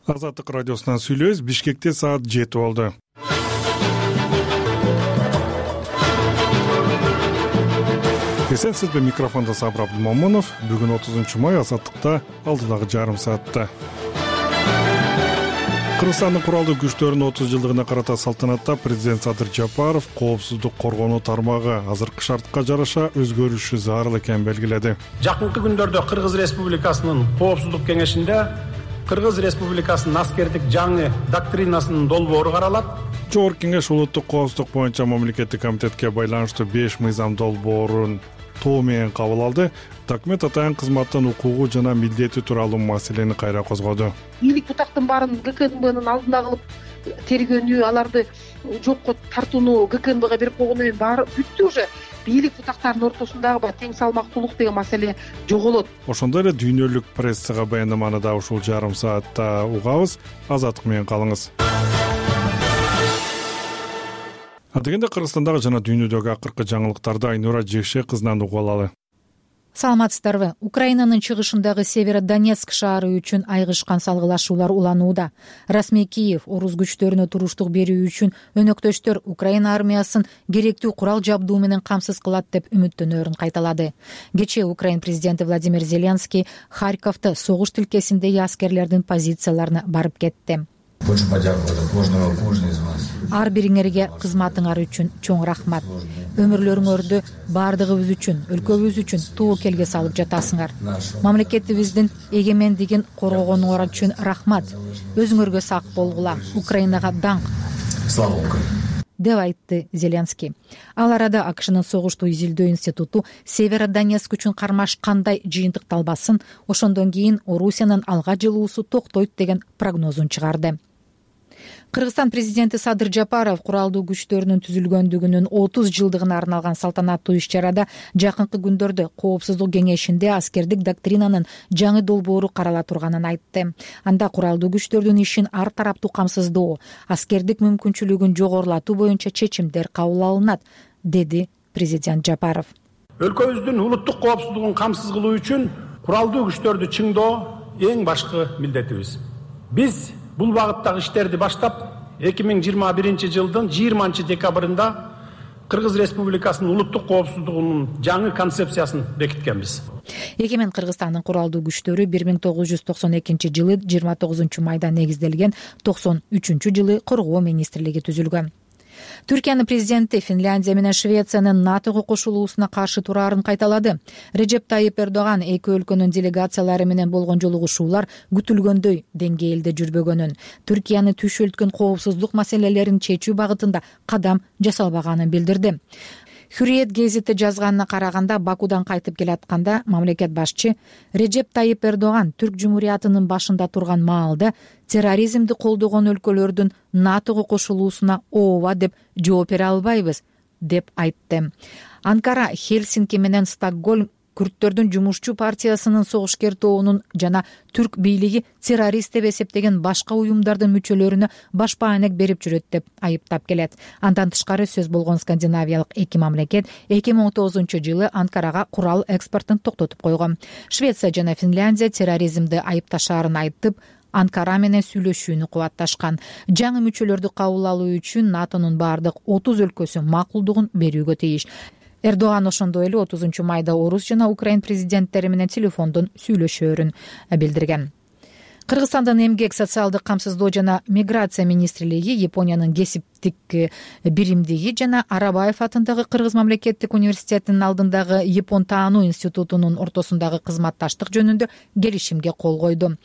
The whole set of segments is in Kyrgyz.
Азаттык радиосунан сүйлөбүз. Бишкекте саат 7 болду. Эсенсизби, микрофондо Сабыр Абдымомунов. Бүгүн 30 май, Азаттыкта алдыдагы жарым саатта. Кыргызстандын куралдуу күчтөрүнүн 30 жылдыгына карата салтанатта президент Садыр Жапаров коопсуздук коргонуу тармагы азыркы шартка жараша өзгөрүшү зарыл экенин белгиледи. Жакынкы күндөрдө Кыргыз Республикасынын коопсуздук кеңешинде Кыргыз Республикасынын аскердик жаңы доктринасынын долбоору каралат. Жогорку кеңеш улуттук коопсуздук боюнча мамлекеттик комитетке байланыштуу 5 мыйзам долбоорун тоо менен кабыл алды. Документ атайын кызматтын укугу жана милдети тууралуу маселени кайра козгоду. Бийлик бутактын баарын ГКНБнын алдына кылып тергөөнү, аларды жокко тартууну ГКНБга берип койгону менен баары бүттү уже. Бийлик бутактарынын ортосундагы тең салмактуулук деген маселе жоголот. Ошондой эле дүйнөлүк прессага баяндаманы да ушул жарым саатта угабыз. Азаттык менен калыңыз. Дегенде Кыргызстандагы жана дүйнөдөгү акыркы жаңылыктарды Айнура Жекше кызынан угуп алалы. Саламатсыздарбы? Украинанын чыгышындагы Северодонецк шаары үчүн айгышкан салгылашуулар уланууда. Расмий Киев орус күчтөрүнө туруштук берүү үчүн өнөктөштөр Украина армиясын керектүү курал жабдуу менен камсыз кылат деп үмүттөнөрүн кайталады. Кечээ Украин президенти Владимир Зеленский Харьковто согуш тилкесиндеги аскерлердин позицияларына барып кетти. Ар бириңерге кызматыңар үчүн чоң рахмат. Өмүрлөрүңөрдү баардыгыбыз үчүн, өлкөбүз үчүн тоокелге салып жатасыңар. Мамлекетибиздин эгемендигин коргогонуңар үчүн рахмат. Өзүңөргө сак болгула. Украинага даңк. Слава Украине! деп айтты Зеленский. Ал арада АКШнын согушту изилдөө институту Северодонецк үчүн кармаш кандай жыйынтыкталбасын, ошондон кийин Орусиянын алга жылуусу токтойт деген прогнозун чыгарды. Кыргызстан президенти Садыр Жапаров куралдуу күчтөрүнүн түзүлгөндүгүнүн 30 жылдыгына арналган салтанаттуу иш-чарада жакынкы күндөрдө коопсуздук кеңешинде аскердик доктринанын жаңы долбоору карала турганын айтты. Анда куралдуу күчтөрдүн ишин ар тараптуу камсыздоо, аскердик мүмкүнчүлүгүн жогорулатуу боюнча чечимдер кабыл алынат, деди президент Жапаров. Өлкөбүздүн улуттук коопсуздугун камсыз кылуу үчүн куралдуу күчтөрдү чыңдоо эң башкы милдетибиз. Биз бул багыттагы иштерди баштап 2021 жылдын 20 декабрында Кыргыз Республикасынын улуттук коопсуздугунун жаңы концепциясын бекиткенбиз. Эгемен Кыргызстандын куралдуу күчтөрү 1992 жылы 29 майда негизделген, 93 жылы Коргоо министрлиги түзүлгөн. Түркиянын президенти Финляндия менен Швециянын НАТОго кошулуусуна каршы тураарын кайталады. Реджеп Тайип Эрдоган эки өлкөнүн делегациялары менен болгон жолугушуулар күтүлгөндөй деңгээлде жүрбөгөнүн, Түркияны түшөлткөн коопсуздук маселелерин чечүү багытында кадам жасалбаганын билдирди. Hürriyet гезити жазганына караганда, Бакудан кайтып келатканда мамлекет башчы Реджеп Тайип Эрдоган Түрк Жумуриятынын башында турган маалда терроризмди колдогон өлкөлөрдүн НАТОго кошулуусуна ооба деп жооп бере албайбыз, деп айтты. Анкара, Хельсинки менен Стокгольм Күрттөрдүн жумушчу партиясынын согушкер тобунун жана түрк бийлиги террорист деп эсептеген башка уюмдардын мүчөлөрүнө баш баанек берип жүрөт деп айыптап келет. Андан тышкары сөз болгон скандинавиялык эки мамлекет 2019 жылы Анкарага курал экспортун токтотуп койгон. Швеция жана Финляндия терроризмди айыпташаарын айтып, Анкара менен сүйлөшүүнү кубатташкан. Жаңы мүчөлөрдү кабыл алуу үчүн НАТОнун баардык 30 өлкөсү макулдугун берүүгө тийиш. Эрдоган ошондой эле 30 майда орус жана украин президенттери менен телефондон сүйлөшөөрүн билдирген. Кыргызстандын эмгек, социалдык камсыздоо жана миграция министрлиги Япониянын кесиптик биримдиги жана Арабаев атындагы Кыргыз мамлекеттик университетинин алдындагы Япон таануу институтунун ортосундагы кызматташтык жөнүндө келишимге кол койду.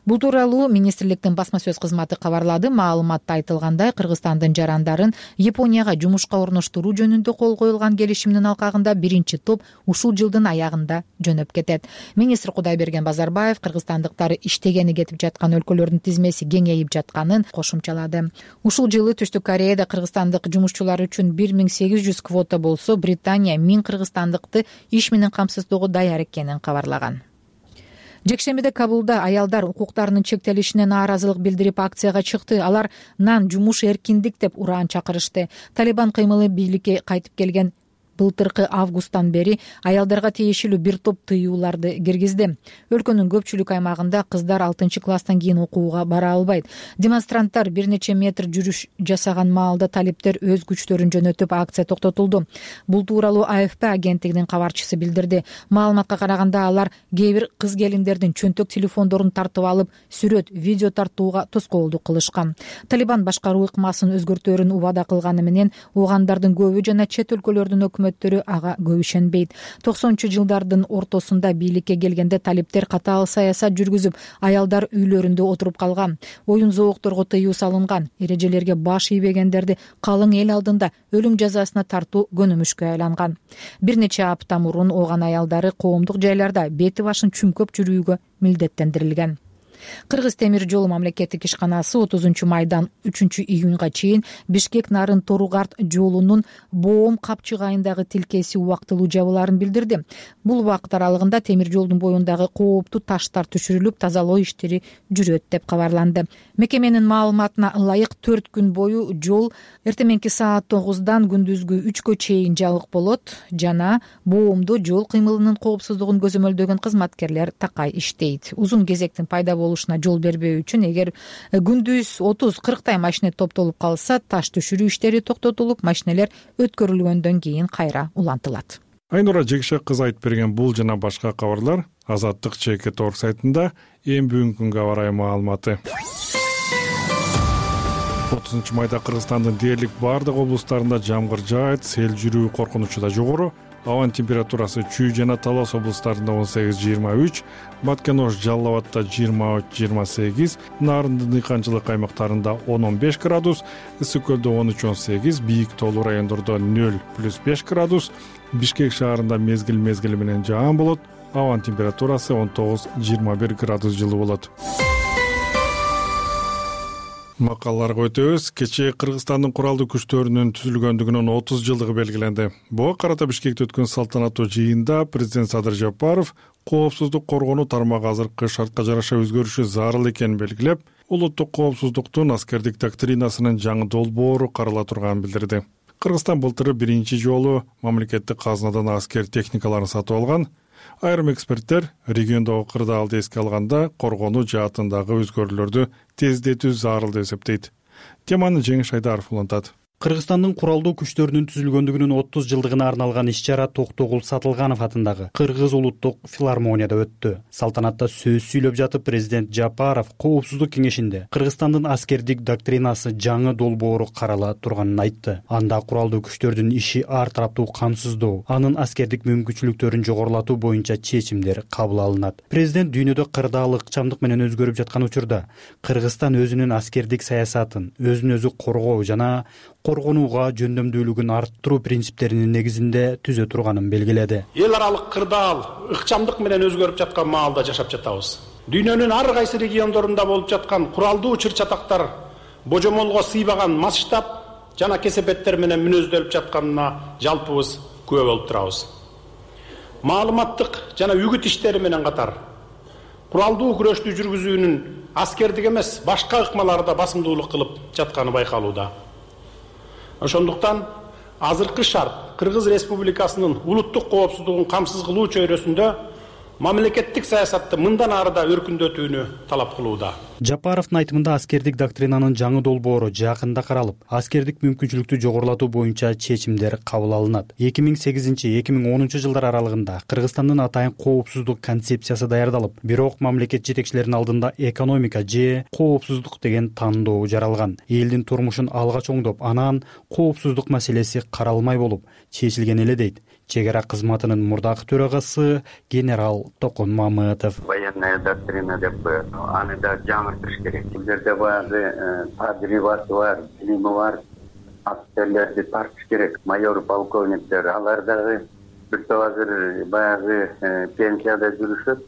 Бул тууралуу министрликтин басма сөз кызматы кабарлады. Маалыматта айтылгандай, Кыргызстандын жарандарын Японияга жумушка орноштуруу жөнүндө кол коюлган келишимдин алкагында биринчи топ ушул жылдын аягында жөнөп кетет. Министр Кудайберген Базарбаев кыргызстандыктар иштегени кетип жаткан өлкөлөрдүн тизмеси кеңейип жатканын кошумчалады. Ушул жылы Түштүк Кореяда кыргызстандык жумушчулар үчүн 1800 квота болсо, Британия 1000 кыргызстандыкты иш менен камсыздоого даяр экенин кабарлаган. Жекшембиде Кабулда аялдар укуктарынын чектелишине нааразылык билдирип акцияга чыкты. Алар нан, жумуш, эркиндик деп ураан чакырышты. Талибан кыймылы бийликке кайтып келген былтыркы августтан бери аялдарга тиешелүү бир топ тыюуларды киргизди. Өлкөнүн көпчүлүк аймагында кыздар 6-класстан кийин окууга бара албайт. Демонстранттар бир нече метр жүрүш жасаган маалда талиптер өз күчтөрүн жөнөтүп, акция токтотулду. Бул тууралуу АФП агенттигинин кабарчысы билдирди. Маалыматка караганда алар кээ бир кыз келиндердин чөнтөк телефондорун тартып алып, сүрөт, видео тартууга тоскоолдук кылышкан. Талибан башкаруу ыкмасын өзгөртөөрүн убада кылганы менен уугандардын көбү жана чет өлкөлөрдүн өкмөттөрү ага көп ишенбейт. 90-жылдардын ортосунда бийликке келгенде талиптер катаал саясат жүргүзүп, аялдар үйлөрүндө отуруп калган. Оюн зоокторго тыюу салынган. Эрежелерге баш ийбегендерди калың эл алдында өлүм жазасына тартуу көнүмүшкө айланган. Бир нече апта мурун ооган аялдары коомдук жайларда бети башын чүмкөп жүрүүгө милдеттендирилген. Кыргыз темир жолу мамлекеттик ишканасы 30-майдан 3-июнга чейин Бишкек-Нарын-Торугарт жолунун Боом капчыгайындагы тилкеси убактылуу жабылаарын билдирди. Бул убакыт аралыгында темир жолдун боюндагы кооптуу таштар түшүрүлүп, тазалоо иштери жүрөт деп кабарланды. Мекеменин маалыматына ылайык 4 күн бою жол эртеменки саат 9-дан күндүзгү 3-кө чейин жабык болот жана Боомдо жол кыймылынын коопсуздугун көзөмөлдөгөн кызматкерлер такай иштейт. Узун кезектин пайда болушуна жол бербөө үчүн эгер күндүз 30-40 машина топтолуп калса, таш түшүрүү иштери токтотулуп, машиналер өткөрүлгөндөн кийин кайра улантылат. Айнура Жекшек кызы айтып берген бул жана башка кабарлар Азаттык ЧК.org сайтында эң бүгүнкү күнгө карай маалыматы. 30-майда Кыргызстандын дээрлик бардык облустарында жамгыр жаайт, сел жүрүү коркунучу да жогору. Абанын температурасы Чүй жана Талас облустарында 18-23, Баткен-Ош, Жалал Абадта 23-28, Нарындын дыйканчылык аймактарында 10-15 градус, Ысык көлдө 13-18, бийик тоолуу райондордо 0+5 градус, Бишкек шаарында мезгил менен жаан болот, абанын температурасы 19-21 градус жылы болот. Макалаларга өтөбүз. Кечээ Кыргызстандын куралдуу күчтөрүнүн түзүлгөндүгүнүн 30 жылдыгы белгиленди. Буга карата Бишкекте өткөн салтанаттуу жыйында президент Садыр Жапаров коопсуздук коргонуу тармагы азыркы шартка жараша өзгөрүшү зарыл экенин белгилеп, улуттук коопсуздуктун аскердик доктринасынын жаңы долбоору карала турганын билдирди. Кыргызстан былтыры биринчи жолу мамлекеттик казынадан аскер техникаларын сатып алган. Айрым эксперттер региондогу кырдаалды эске алганда коргонуу жаатындагы өзгөрүүлөрдү тездетүү зарыл деп эсептейт. Теманы Жеңиш Айдаров улантат. Кыргызстандын куралдуу күчтөрүнүн түзүлгөндүгүнүн 30 жылдыгына арналган иш-чара Токтогул Сатылганов атындагы Кыргыз улуттук филармонияда өттү. Салтанатта сөз сүйлөп жатып, президент Жапаров Коопсуздук кеңешинде Кыргызстандын аскердик доктринасы жаңы долбоору карала турганын айтты. Анда куралдуу күчтөрдүн иши ар тараптуу камсыздоо, анын аскердик мүмкүнчүлүктөрүн жогорулатуу боюнча чечимдер кабыл алынат. Президент дүйнөдө кырдаал ыкчамдык менен өзгөрүп жаткан учурда Кыргызстан өзүнүн аскердик саясатын, өзүн өзү коргоо жана коргонууга жөндөмдүүлүгүн арттыруу принциптеринин негизинде түзө турганын белгиледи. Эл аралык кырдаал ыкчамдык менен өзгөрүп жаткан маалда жашап жатабыз. Дүйнөнүн ар кайсы региондорунда болуп жаткан куралдуу чыр-чатактар божомолго сыйбаган масштаб жана кесепеттер менен мүнөздөлүп жатканына жалпыбыз күбө болуп турабыз. Маалыматтык жана үгүт иштери менен катар куралдуу күрөштү жүргүзүүнүн аскердик эмес, башка ыкмаларда басымдуулук кылып жатканы байкалууда. Ошондуктан азыркы шарт Кыргыз Республикасынын улуттук коопсуздугун камсыз кылуу чөйрөсүндө мамлекеттик саясатты мындан ары да өркүндөтүүнү талап кылууда. Жапаровдун айтымында аскердик доктринанын жаңы долбоору жакында каралып, аскердик мүмкүнчүлүктү жогорулатуу боюнча чечимдер кабыл алынат. 2008-2010 жылдар аралыгында Кыргызстандын атайын коопсуздук концепциясы даярдалып, бирок мамлекет жетекчилеринин алдында экономика же коопсуздук деген тандоо жаралган. Элдин турмушун алга чоңдоп, анан коопсуздук маселеси каралмай болуп чечилген эле дейт чек ара кызматынын мурдакы төрагасы генерал Токон Мамытов. Военная доктрина деп аны да жаңыртыш керек. Бул жерде баягы тажрыйбасы бар, билими бар аскерлерди тартыш керек. Майор, полковниктер, алар дагы бир топ азыр баягы пенсияда жүрүшөт.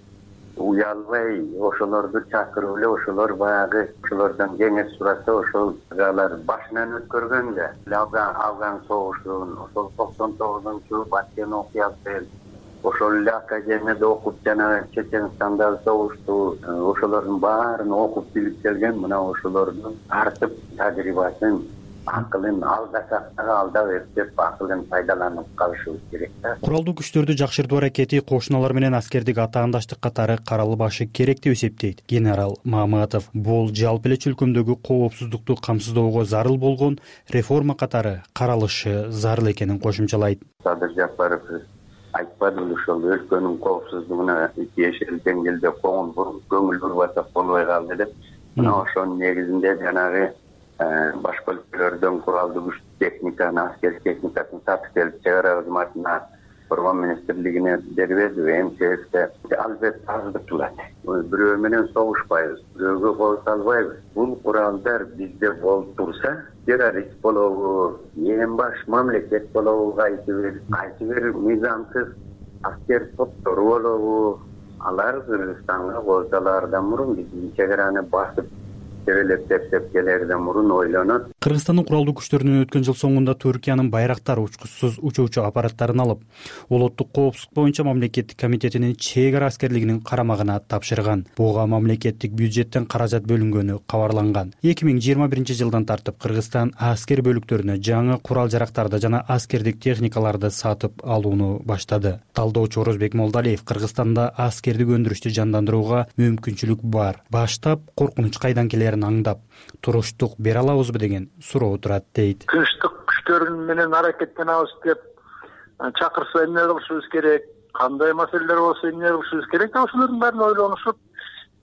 Уялбай ошолорду чакырып эле, ошолор баягы ошолордон кеңеш сураса, ошол алар башынан өткөргөндө Афган согушун, ошол 99-жылы Баткен окуясы, ошол эле академияда окуп жана Чеченстандагы согушту, ошолордун баарын окуп билип келген, мына ошолордун артып тажрыйбасын акылын алдасак дагы алдап эптеп акылын пайдаланып калышыбыз керек да. Куралдуу күчтөрдү жакшыртуу аракети кошуналар менен аскердик атаандаштык катары каралбашы керек деп эсептейт генерал Маматов. Бул жалпы эле чөлкөмдөгү коопсуздукту камсыздоого зарыл болгон реформа катары каралышы зарыл экенин кошумчалайт. Садыр Жапаров айтпадыбы ошол өлкөнүн коопсуздугуна тиешелүү деңгээлде көңүл буруп атсак болбой калды деп. Мына ошонун негизинде жанагы башка өлкөлөрдөн куралдуу күч техниканы, аскер техникасын сатып келип чыгаруу кызматына Коргоо министрлигине бербедиби? МЧСке албетте аздык кылат. Бирөө менен согушпайбыз, бирөөгө кол салбайбыз. Бул куралдар бизде болуп турса, террорист болобу, эң баш мамлекет болобу, кайсы бир мыйзамсыз аскер топтору болобу, алар Кыргызстанга болсалардан мурун биздин чек араны басып тебелеп тептеп келерден мурун ойлонот. Кыргызстандын куралдуу күчтөрүнүн өткөн жыл соңунда Түркиянын байрактар учкучсуз учуучу аппараттарын алып, улуттук коопсуздук боюнча мамлекеттик комитетинин чек ара аскерлигинин карамагына тапшырган. Буга мамлекеттик бюджеттен каражат бөлүнгөнү кабарланган. 2021 жылдан тартып Кыргызстан аскер бөлүктөрүнө жаңы курал-жарактарды жана аскердик техникаларды сатып алууну баштады. Талдоочу Орозбек Молдалиев Кыргызстанда аскердик өндүрүштү жандандырууга мүмкүнчүлүк бар. Баштап коркунуч кайдан келерин аңдап, туруштук бере алабызбы деген суроо турат дейт. Тынчтык күчтөрү менен аракеттенебиз деп чакырса эмне кылышыбыз керек, кандай маселелер болсо эмне кылышыбыз керек, ошолордун баарын ойлонушуп,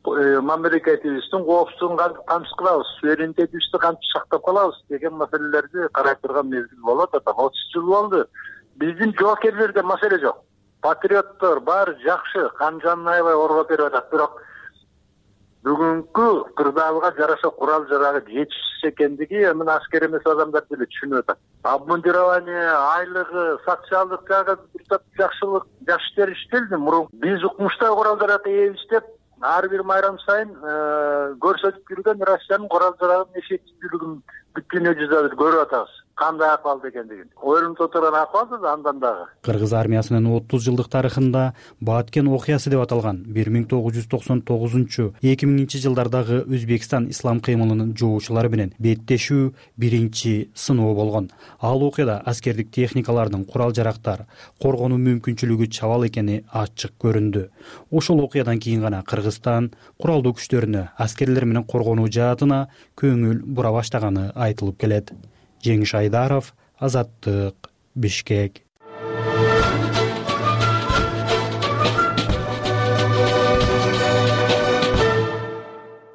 мамлекетибиздин коопсуздугун кантип камсыз кылабыз, суверенитетибизди кантип сактап калабыз деген маселелерди карап турган мезгил болот. 30 жыл болду. Биздин жоокерлерде маселе жок. Патриоттор баары жакшы, кан жанын аябай коргоп берип атат. Бирок бүгүнкү кырдаалга жараша курал-жарагы жетишсиз экендиги мына аскер эмес адамдар деле түшүнүп атат. Обмундирование, айлыгы, социалдык жагы бир топ жакшылык, жакшы иштер иштелди мурун. Биз укмуштай курал-жаракка ээбиз деп ар бир майрам сайын көрсөтүп жүргөн Россиянын курал-жарагынын эффективдүүлүгүн бүт дүйнө жүзүндө көрүп атабыз. Кандай акыбалда экендигин. Ойлонуп отурган акыбал да андан дагы. Кыргыз армиясынын 30 жылдык тарыхында Баткен окуясы деп аталган 1999-2000 жылдардагы Өзбекстан ислам кыймылынын жоочулары менен беттешүү биринчи сыноо болгон. Ал окуяда аскердик техникалардын курал-жарактар коргонуу мүмкүнчүлүгү чабал экени ачык көрүндү. Ошол окуядан кийин гана Кыргызстан куралдуу күчтөрүнө аскерлер менен коргонуу жаатына көңүл бура баштаганы айтылып келет. Жеңиш Айдаров, Азаттык, Бишкек.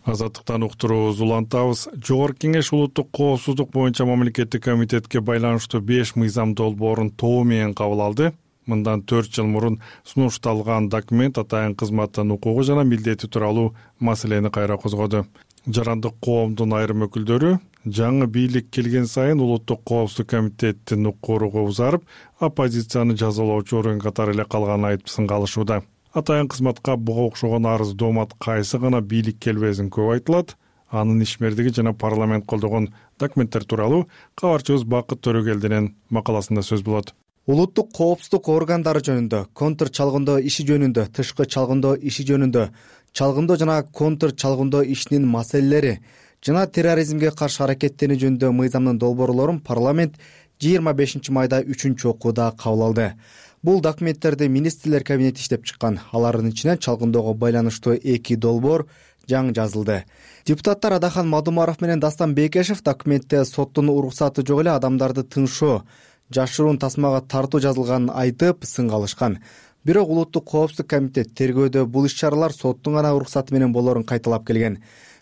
Азаттыктан уктуруубуз улантабыз. Жогорку кеңеш улуттук коопсуздук боюнча мамлекеттик комитетке байланыштуу 5 мыйзам долбоорун тоо менен кабыл алды. Мындан 4 жыл мурун сунушталган документ атайын кызматтын укугу жана милдети тууралуу маселени кайра козгоду. Жарандык коомдун айрым өкүлдөрү жаңы бийлик келген сайын улуттук коопсуздук комитеттин укуругу узарып, оппозицияны жазалоочу орган катары эле калганын айтып сынгалышууда. Атайын кызматка буга окшогон арыз доомат кайсы гана бийлик келбесин көп айтылат. Анын ишмердиги жана парламент колдогон документтер тууралуу кабарчыбыз Бакыт Төрөгелдинин макаласында сөз болот. Улуттук коопсуздук органдары жөнүндө, контр чалгындоо иши жөнүндө, тышкы чалгындоо иши жөнүндө, чалгындоо жана контр чалгындоо ишинин маселелери жана терроризмге каршы аракеттенүү жөнүндө мыйзамдын долбоорлорун парламент 25 майда 3-окууда кабыл алды. Бул документтерди министрлер кабинети иштеп чыккан. Алардын ичинен чалгындоого байланыштуу 2 долбоор жаңы жазылды. Депутаттар Адахан Мадумаров менен Дастан Бекешев документте соттун уруксаты жок эле адамдарды тыңшоо, жашыруун тасмага тартуу жазылганын айтып сынгалышкан. Бирок улуттук коопсуздук комитет тергөөдө бул иш-чаралар соттун гана уруксаты менен болоорун кайталап келген.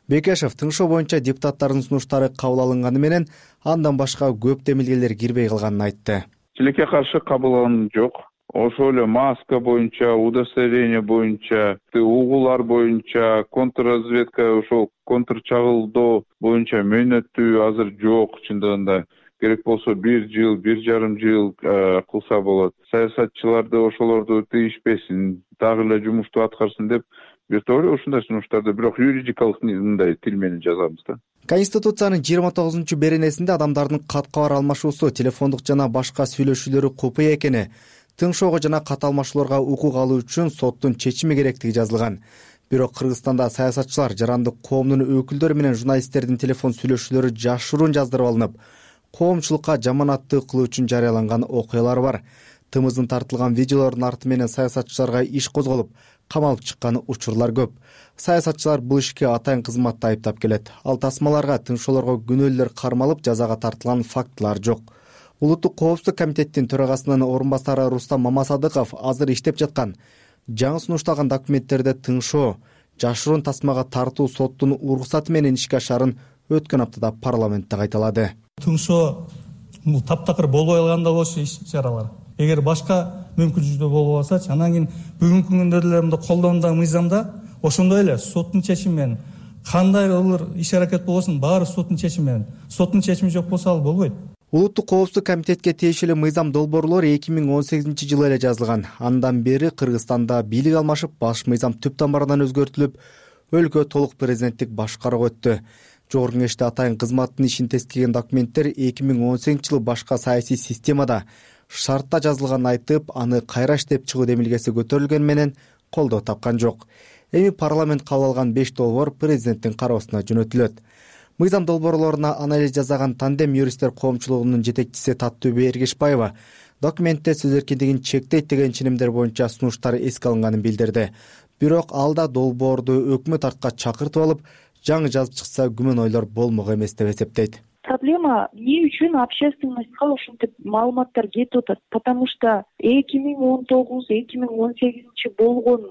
Бекешев тыңшоо боюнча депутаттардын сунуштары кабыл алынганы менен андан башка көп демилгелер кирбей калганын айтты. Тилекке каршы кабыл алынган жок. Ошол эле маска боюнча, удостоверение боюнча, угулар боюнча, контрразведка, ошол контрчагылдоо боюнча мөөнөтү азыр жок чындыгында. Керек болсо 1 жыл, 1,5 жыл кылса болот. Саясатчыларды ошолорду тийишпесин, дагы эле жумушту аткарсын деп биртори ушундай сунуштарды бирок юридикалык мындай тил менен жазабыз да. Конституциянын 29-беренесинде адамдардын кат-кабар алмашуусу, телефондук жана башка сүйлөшүүлөрү купуя экени, тыңшоого жана кат алмашууларга укук алуу үчүн соттун чечими керектиги жазылган. Бирок Кыргызстанда саясатчылар жарандык коомдун өкүлдөрү менен журналисттердин телефон сүйлөшүүлөрү жашыруун жаздырып алынып, коомчулукка жаманаттык кылуу үчүн жарыяланган окуялар бар. Тымыздын тартылган видеолордун арты менен саясатчыларга иш козголуп, камалып чыккан учурлар көп. Саясатчылар бул ишке атайын кызматты айыптап келет. Ал тасмаларга, тынчоолорго күнөөлөр кармалып, жазага тартылган фактылар жок. Улуттук коопсуздук комитеттин төрагасынын орун басары Рустам Мамасадыков азыр иштеп жаткан жаңы сунушталган документтерде тыңшоо, жашыруун тасмага тартуу соттун уруксаты менен ишке ашарын өткөн аптада парламентте кайталады. Тыңшоо бул таптакыр болбой калганда болчу иш-чаралар. Эгер башка мүмкүнчүлүктөр болбосочу, анан кийин бүгүнкү күндө деле мындай колдонуундагы мыйзамда ошондой эле соттун чечими менен кандай ылыр иш-аракет болбосун баары соттун чечими менен. Соттун чечими жок болсо ал болбойт. Улуттук коопсуздук комитетке тиешелүү мыйзам долбоорлор 2018-жылы эле жазылган. Андан бери Кыргызстанда бийлик алмашып, баш мыйзам түп тамырынан өзгөртүлүп, өлкө толук президенттик башкарууга өттү. Жогорку Кеңеште атайын кызматтын ишин тескеген документтер 2018-жылы башка саясий системада шартта жазылганын айтып, аны кайра иштеп чыгуу демилгеси көтөрүлгөн менен колдоо тапкан жок. Эми парламент кабыл алган 5 долбоор президенттин кароосуна жөнөтүлөт. Мыйзам долбоорлоруна анализ жасаган Тандем юристтер коомчулугунун жетекчиси Таттөбү Эргешбаева документте сөз эркиндигин чектейт деген ченемдер боюнча сунуштар эске алынганын билдирди. Бирок алда долбоорду өкмөт артка чакыртып алып, жаңы жазып чыкса күмөн ойлор болмок эмес деп эсептейт. Проблема эмне үчүн общественностька ушинтип маалыматтар кетип атат? Потому что 2019-2018 болгон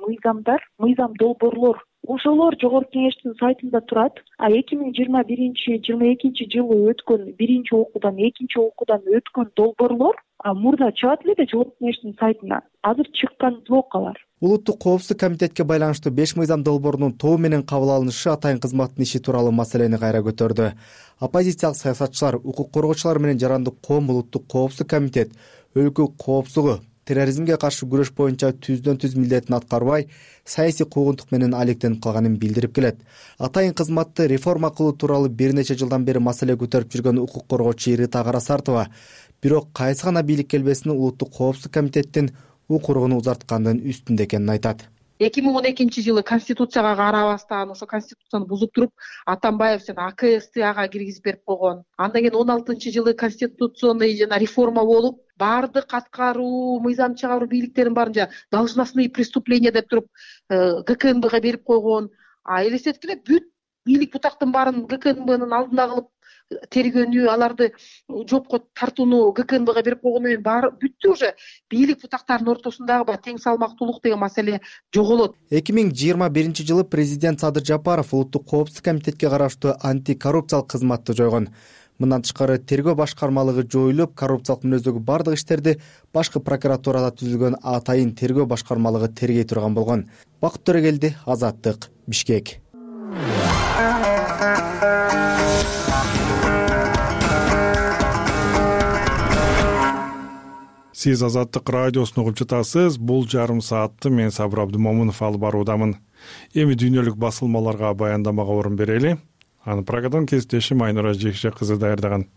мыйзам долбоорлор ошолор Жогорку Кеңештин сайтында турат. А 2021-22 жылы өткөн биринчи окуудан, экинчи окуудан өткөн долбоорлор мурда чыгат эле Жогорку Кеңештин сайтына. Азыр чыккан жок алар. Улуттук коопсуздук комитетке байланыштуу 5 мыйзам долбоорунун тобу менен кабыл алынышы атайын кызматтын иши тууралуу маселени кайра көтөрдү. Оппозициялык саясатчылар, укук коргоочулар менен жарандык коом улуттук коопсуздук комитет өлкө коопсуздугу, терроризмге каршы күрөш боюнча түздөн-түз милдетин аткарбай, саясий куугунтук менен алектенип калганын билдирип келет. Атайын кызматты реформа кылуу тууралуу бир нече жылдан бери маселе көтөрүп жүргөн укук коргоочу Рита Карасартова, бирок кайсы гана бийлик келбесин улуттук коопсуздук комитеттин укуругун узарткандын үстүндө экенин айтат. 2012-жылы конституцияга карабастан ошо конституцияны бузуп туруп Атамбаев жана АКСты ага киргизип берип койгон. Андан кийин 16-жылы конституционный жана реформа болуп, баардык аткаруу, мыйзам чыгаруу бийликтерин баарын должностные преступления деп туруп ГКНБга берип койгон. Элестеткиле бүт бийлик бутактын баарын ГКНБнын алдына кылып тергөөнү, аларды жопко тартууну ГКНБга берип койгону менен баары бүттү. Уже бийлик бутактарынын ортосундагы тең салмактуулук деген маселе жоголот. 2021-жылы президент Садыр Жапаров улуттук коопсуздук комитетке караштуу антикоррупциялык кызматты жойгон. Мындан тышкары тергөө башкармалыгы жоюлуп, коррупциялык мүнөздөгү бардык иштерди башкы прокуратурада түзүлгөн атайын тергөө башкармалыгы тергей турган болгон. Бакыт Төрөгелди, Азаттык, Бишкек. Сиз Азаттык радиосун угуп жатасыз. Бул жарым саатты мен Сабыр Абдымомунов алып баруудамын. Эми дүйнөлүк басылмаларга баяндамага орун берели. Аны Прагадан кесиптешим Айнура Жекше кызы даярдаган.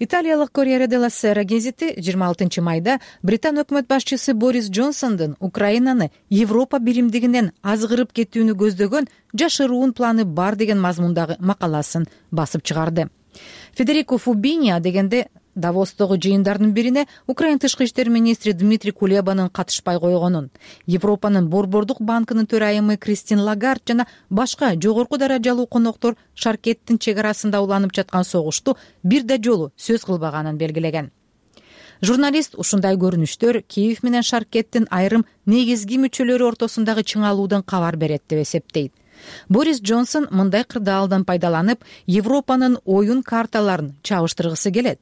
Италиялык Корьере делла Сера гезити 26 майда Британ өкмөт башчысы Борис Джонсондун Украинаны Европа биримдигинен азгырып кетүүнү көздөгөн жашыруун планы бар деген мазмундагы макаласын басып чыгарды. Федерико Фубини дегенде Давостогу жыйындардын бирине Украин тышкы иштер министри Дмитрий Кулебанын катышпай койгонун, Европанын Борбордук банкынын төрайымы Кристин Лагард жана башка жогорку даражалуу коноктор Шаркеттин чек арасында уланып жаткан согушту бир да жолу сөз кылбаганын белгилеген. Журналист ушундай көрүнүштөр Киев менен Шаркеттин айрым негизги мүчөлөрү ортосундагы чыңалуудан кабар берет деп эсептейт. Борис Джонсон мындай кырдаалдан пайдаланып, Европанын оюн карталарын чабыштыргысы келет.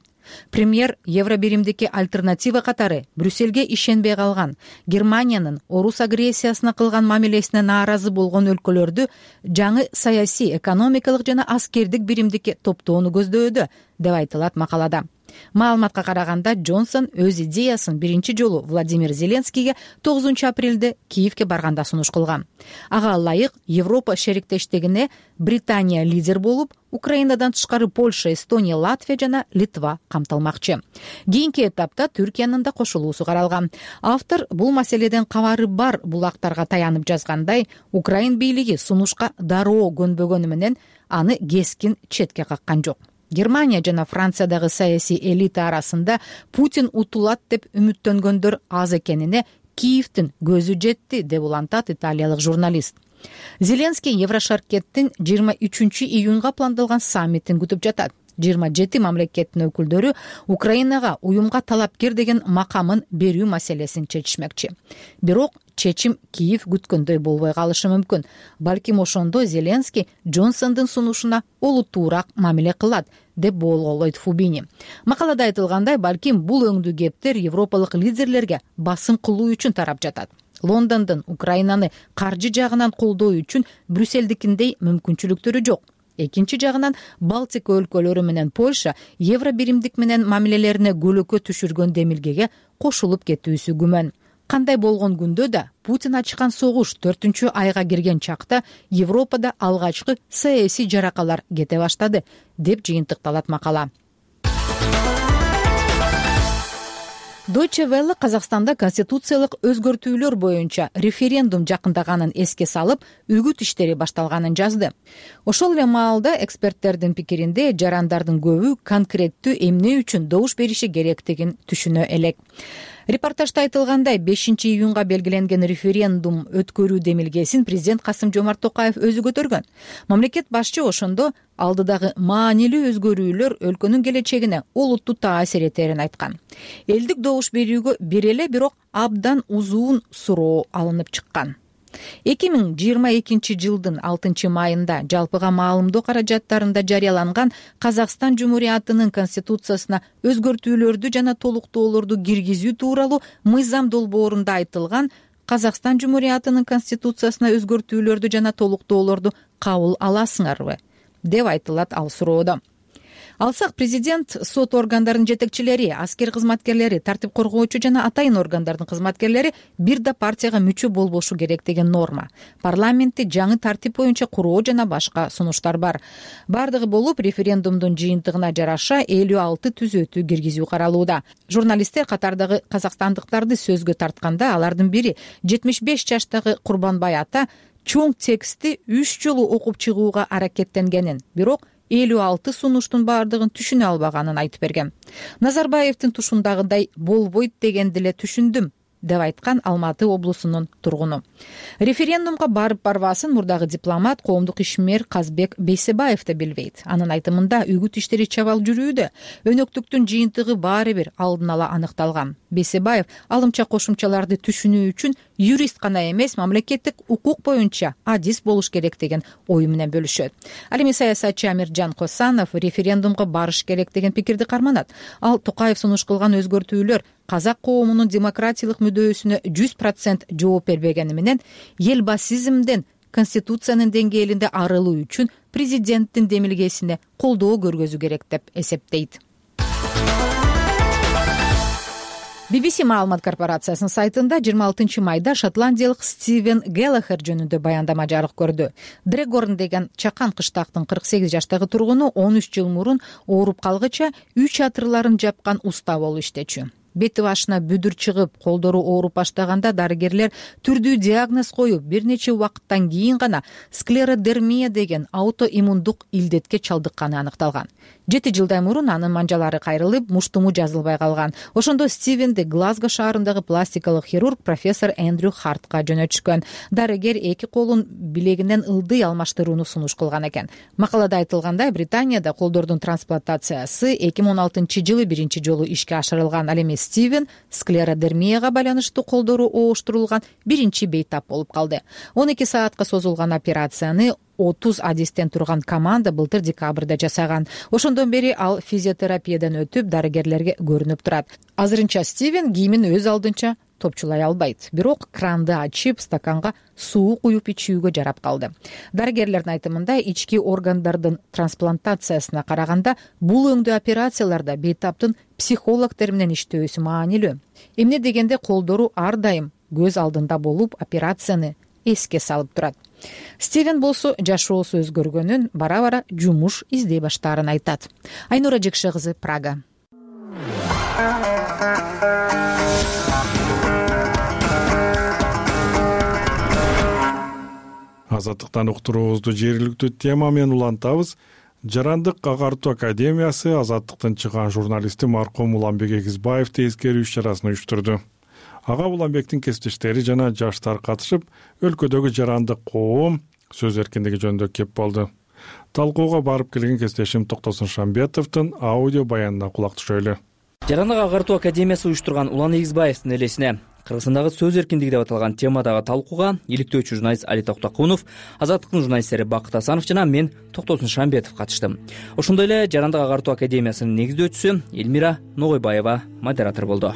Премьер евро биримдикке альтернатива катары Брюссельге ишенбей калган, Германиянын орус агрессиясына кылган мамилесине нааразы болгон өлкөлөрдү жаңы саясий, экономикалык жана аскердик биримдикке топтоону көздөдө, деп айтылат макалада. Маалыматка караганда Джонсон өз идеясын биринчи жолу Владимир Зеленскийге 9 апрелде Киевке барганда сунуш кылган. Ага ылайык Европа шериктештигине Британия лидер болуп, Украинадан тышкары Польша, Эстония, Латвия жана Литва камтылмакчы. Кийинки этапта Түркиянын да кошулуусу каралган. Автор бул маселеден кабары бар булактарга таянып жазгандай, Украин бийлиги сунушка дароо көнбөгөнү менен аны кескин четке каккан жок. Германия жана Франциядагы саясий элита арасында Путин утулат деп үмүттөнгөндөр аз экенине Киевдин көзү жетти деп улантат италиялык журналист. Зеленский Еврошаркеттин 23-июнга пландалган саммитин күтүп жатат. 27 мамлекеттин өкүлдөрү Украинага уюмга талапкер деген макамын берүү маселесин чечишмекчи. Бирок чечим Киев күткөндөй болбой калышы мүмкүн. Балким ошондо Зеленский Джонсондун сунушуна олуттуураак мамиле кылат деп болголойт Фубини. Макалада айтылгандай, балким бул өңдүү кептер европалык лидерлерге басым кылуу үчүн тарап жатат. Лондондун Украинаны каржы жагынан колдоо үчүн Брюссельдикиндей мүмкүнчүлүктөрү жок. Экинчи жагынан Балтика өлкөлөрү менен Польша евро биримдик менен мамилелерине көлөкө түшүргөн демилгеге кошулуп кетүүсү күмөн. Кандай болгон күндө да Путин ачкан согуш 4 айга кирген чакта Европада алгачкы саясий жаракалар кете баштады деп жыйынтыкталат макала. Deutsche Welle Казакстанда конституциялык өзгөртүүлөр боюнча референдум жакындаганын эске салып, үгүт иштери башталганын жазды. Ошол эле маалда эксперттердин пикиринде жарандардын көбү конкреттүү эмне үчүн добуш бериши керектигин түшүнө элек. Репортажда айтылгандай, 5-июнга белгиленген референдум өткөрүү демилгесин президент Касым-Жомарт Токаев өзү көтөргөн. Мамлекет башчы ошондо алдыдагы маанилүү өзгөрүүлөр өлкөнүн келечегине олуттуу таасир этерин айткан. Элдик добуш берүүгө бир эле бирок абдан узун суроо алынып чыккан. 2022 жылдын 6 майында жалпыга маалымдоо каражаттарында жарыяланган Казакстан Жумуриятынын конституциясына өзгөртүүлөрдү жана толуктоолорду киргизүү тууралуу мыйзам долбоорунда айтылган Казакстан Жумуриятынын конституциясына өзгөртүүлөрдү жана толуктоолорду кабыл аласыңарбы деп айтылат ал суроодо. Алсак президент, сот органдарынын жетекчилери, аскер кызматкерлери, тартип коргоочу жана атайын органдардын кызматкерлери бир да партияга мүчө болбошу керек деген норма. Парламентти жаңы тартип боюнча куруу жана башка сунуштар бар. Бардыгы болуп, референдумдун жыйынтыгына жараша 56 түзөтүү киргизүү каралууда. Журналисттер катардагы казакстандыктарды сөзгө тартканда, алардын бири 75 жаштагы Курбанбай ата чоң текстти 3 жолу окуп чыгууга аракеттенгенин, бирок 56 сунуштун бардыгын түшүнө албаганын айтып берген. Назарбаевдин тушундагыдай болбойт дегенди эле түшүндүм деп айткан Алматы облусунун тургуну. Референдумга барбасын мурдагы дипломат, коомдук ишмер Казбек Бейсебаев да билбейт. Анын айтымында үгүт иштери чабал жүрүүдө, өнөктүктүн жыйынтыгы баары бир алдын ала аныкталган. Бейсебаев алымча кошумчаларды түшүнүү үчүн юрист гана эмес, мамлекеттик укук боюнча адис болуш керек деген ою менен бөлүшөт. Ал эми саясатчы Амиржан Косанов референдумга барыш керек деген пикирди карманат. Ал Токаев сунуш кылган өзгөртүүлөр казак коомунун демократиялык мүдөөсүнө 100% жооп бербегени менен элбасизмден конституциянын деңгээлинде арылуу үчүн президенттин демилгесине колдоо көргөзүү керек деп эсептейт. BBC маалымат корпорациясынын сайтында 26 майда шотландиялык Стивен Геллахер жөнүндө баяндама жарык көрдү. Дрегорн деген чакан кыштактын 48 жаштагы тургуну 13 жыл мурун ооруп калгыча үй чатырларын жапкан уста болуп иштечү. Бети башына бүдүр чыгып, колдору ооруп баштаганда дарыгерлер түрдүү диагноз коюп, бир нече убакыттан кийин гана склеродермия деген аутоиммундук илдетке чалдыкканы аныкталган. 7 жылдай мурун анын манжалары кайрылып, муштуму жазылбай калган. Ошондо Стивенди Глазго шаарындагы пластикалык хирург профессор Эндрю Хартка жөнөтүшкөн. Дарыгер эки колун билегинен ылдый алмаштырууну сунуш кылган экен. Макалада айтылгандай, Британияда колдордун трансплантациясы 2016 жылы биринчи жолу ишке ашырылган. Ал эми Стивен склеродермияга байланыштуу колдору ооштурулган биринчи бейтап болуп калды. 12 саатка созулган операцияны 30 адистен турган команда былтыр декабрда жасаган. Ошондон бери ал физиотерапиядан өтүп, дарыгерлерге көрүнүп турат. Азырынча Стивен кийимин өз алдынча топчулай албайт. Бирок кранды ачып, стаканга суу куюп ичүүгө жарап калды. Дарыгерлердин айтымында, ички органдардын трансплантациясына караганда бул өңдүү операцияларда бейтаптын психологдор менен иштөөсү маанилүү. Эмне дегенде колдору ар дайым көз алдында болуп, операцияны эске салып турат. Стивен болсо жашоосу өзгөргөнүн, бара-бара жумуш издей баштаарын айтат. Айнура Жекше кызы, Прага. Азаттыктан уктуруубузду жергиликтүү тема менен улантабыз. Жарандык агартуу академиясы Азаттыктын чыган журналисти маркум Уланбек Эгизбаевди эскерүү иш-чарасын уюштурду. Ага Уланбектин кесиптештери жана жаштар катышып, өлкөдөгү жарандык коом сөз эркиндиги жөнүндө кеп болду. Талкууга барып келген кесиптешим Токтосун Шамбетовдун аудио баянына кулак түшөлү. Жарандык агартуу академиясы уюштурган Улан Эгизбаевдин элесине Кыргызстандагы сөз эркиндиги деп аталган темадагы талкууга иликтөөчү журналист Али Токтокунов, Азаттыктын журналисттери Бакыт Асанов жана мен Токтосун Шамбетов катыштым. Ошондой эле Жарандык агартуу академиясынын негиздөөчүсү Элмира Ногойбаева модератор болду.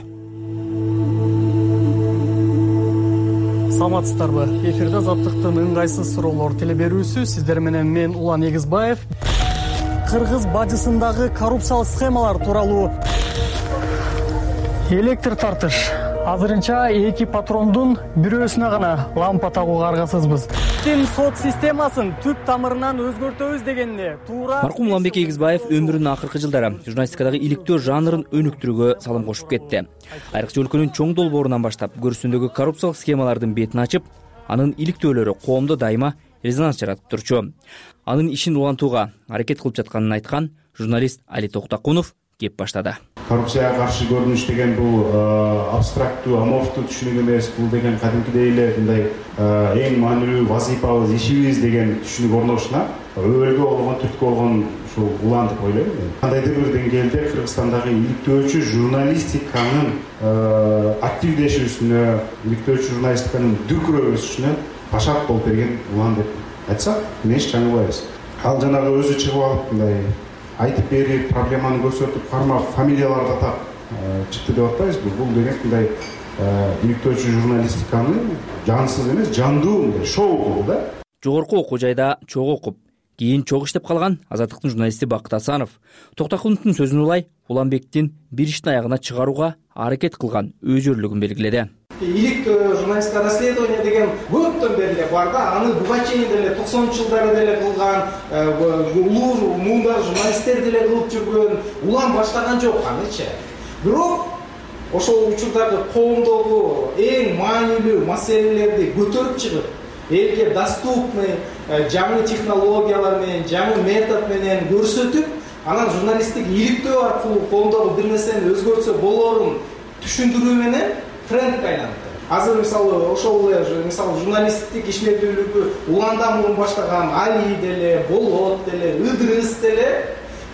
Саламатсыздарбы? Эфирде Азаттыктын ыңгайсыз суроолор телеберүүсү. Сиздер менен мен Улан Эгизбаев. Кыргыз бажысындагы коррупциялык схемалар тууралуу электр тартыш. Азырынча 2 патрондун бирөөсүнө гана лампа тагууга аргасызбыз. Сот системасын түп тамырынан өзгөртөбүз дегенде туура. Маркум Уланбек Эгизбаев өмүрүнүн акыркы жылдары журналистикадагы иликтөө жанрын өнүктүрүүгө салым кошуп кетти. Айрыкча өлкөнүн чоң долбоорунан баштап көрүнүшүндөгү коррупциялык схемалардын бетин ачып, анын иликтөөлөрү коомдо дайыма резонанс жаратып турчу. Анын ишин улантууга аракет кылып жатканын айткан журналист Али Токтокунов кеп баштады. Коррупцияга каршы көрүнүш деген бул абстрактуу, аморфтуу түшүнүк эмес. Бул деген кадимкидей эле мындай эң маанилүү вазифабыз, ишибиз деген түшүнүк орношуна өбөлгө болгон, түрткү болгон ушул улан деп ойлойм. Кандайдыр бир деңгээлде Кыргызстандагы иликтөөчү журналистиканын активдешүүсүнө, иликтөөчү журналистиканын дүркүрөп өсүшүнө башат болуп берген улан деп айтсак, эч чаңыбайбыз. Ал жанагы өзү чыгып алып мындай айтып берип, проблеманы көрсөтүп, кармап, фамилияларды атап чыкты деп атпайбызбы? Бул деген мындай иликтөөчү журналистиканы жансыз эмес, жандуу мындай шоу кылуу да. Жогорку окуу жайда чогуу окуп, кийин чогуу иштеп калган Азаттыктын журналисти Бакыт Асанов Токтокуновдун сөзүн улай Уланбектин бир иштин аягына чыгарууга аракет кылган өзүрлүгүн белгиледи. Иликтөө журналисттик расследование деген көптөн бери эле бар да, аны буга чейин деле 90-жылдары деле кылган, улуу муундар журналисттер деле кылып жүргөн, улам баштаган жок анычы. Бирок ошол учурдагы коомдогу эң маанилүү маселелерди көтөрүп чыгып, элге доступный жаңы технологиялар менен, жаңы метод менен көрсөтүп, анан журналисттик иликтөө аркылуу коомдогу бир нерсени өзгөртсө болорун түшүндүрүү менен трендке айланды. Азыр мисалы ошол эле мисалы журналисттик ишмердүүлүгү уландан мурун баштаган Али деле, Болот деле, Ыдырыс деле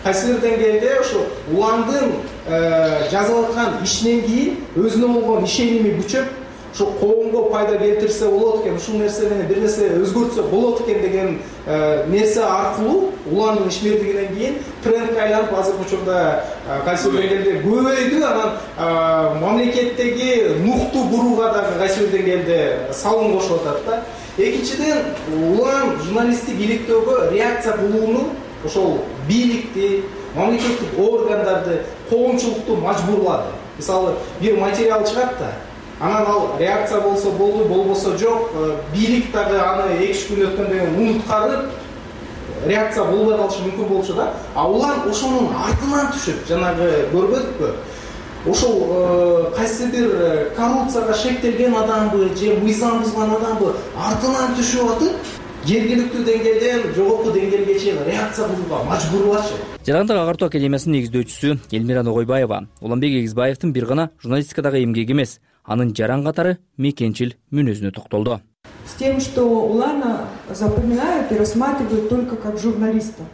кайсы бир деңгээлде ошо уландын жазып аткан ишинен кийин өзүнө болгон ишеними күчөп, ошо коомго пайда келтирсе болот экен, ушул нерсе менен бир нерсе өзгөртсө болот экен деген нерсе аркылуу уландын ишмердигинен кийин трендке айланып, азыркы учурда кайсы бир деңгээлде көбөйдү. Анан мамлекеттеги нукту бурууга дагы кайсы бир деңгээлде салым кошуп атат да. Экинчиден, улан журналисттик иликтөөгө реакция кылууну ошол бийликти, мамлекеттик органдарды, коомчулукту мажбурлады. Мисалы, бир материал чыгат да, анан ал реакция болсо болду, болбосо жок, бийлик дагы аны 2 күн өткөндөн кийин унуткарып, реакция болбой калышы мүмкүн болчу да. А улан ошонун артынан түшүп, жанагы көрбөдүкпү? Ошол кайсы бир коррупцияга шектелген адамбы же мыйзам бузган адамбы артынан түшүп атып, жергиликтүү деңгээлден жогорку деңгээлге чейин реакция кылууга мажбурлашы. Жарандык агартуу академиясынын негиздөөчүсү Элмира Ногойбаева Уланбек Эгизбаевдин бир гана журналистикадагы эмгеги эмес, анын жаран катары мекенчил мүнөзүнө токтолду. С тем, что Улана запоминают и рассматривают только как журналиста.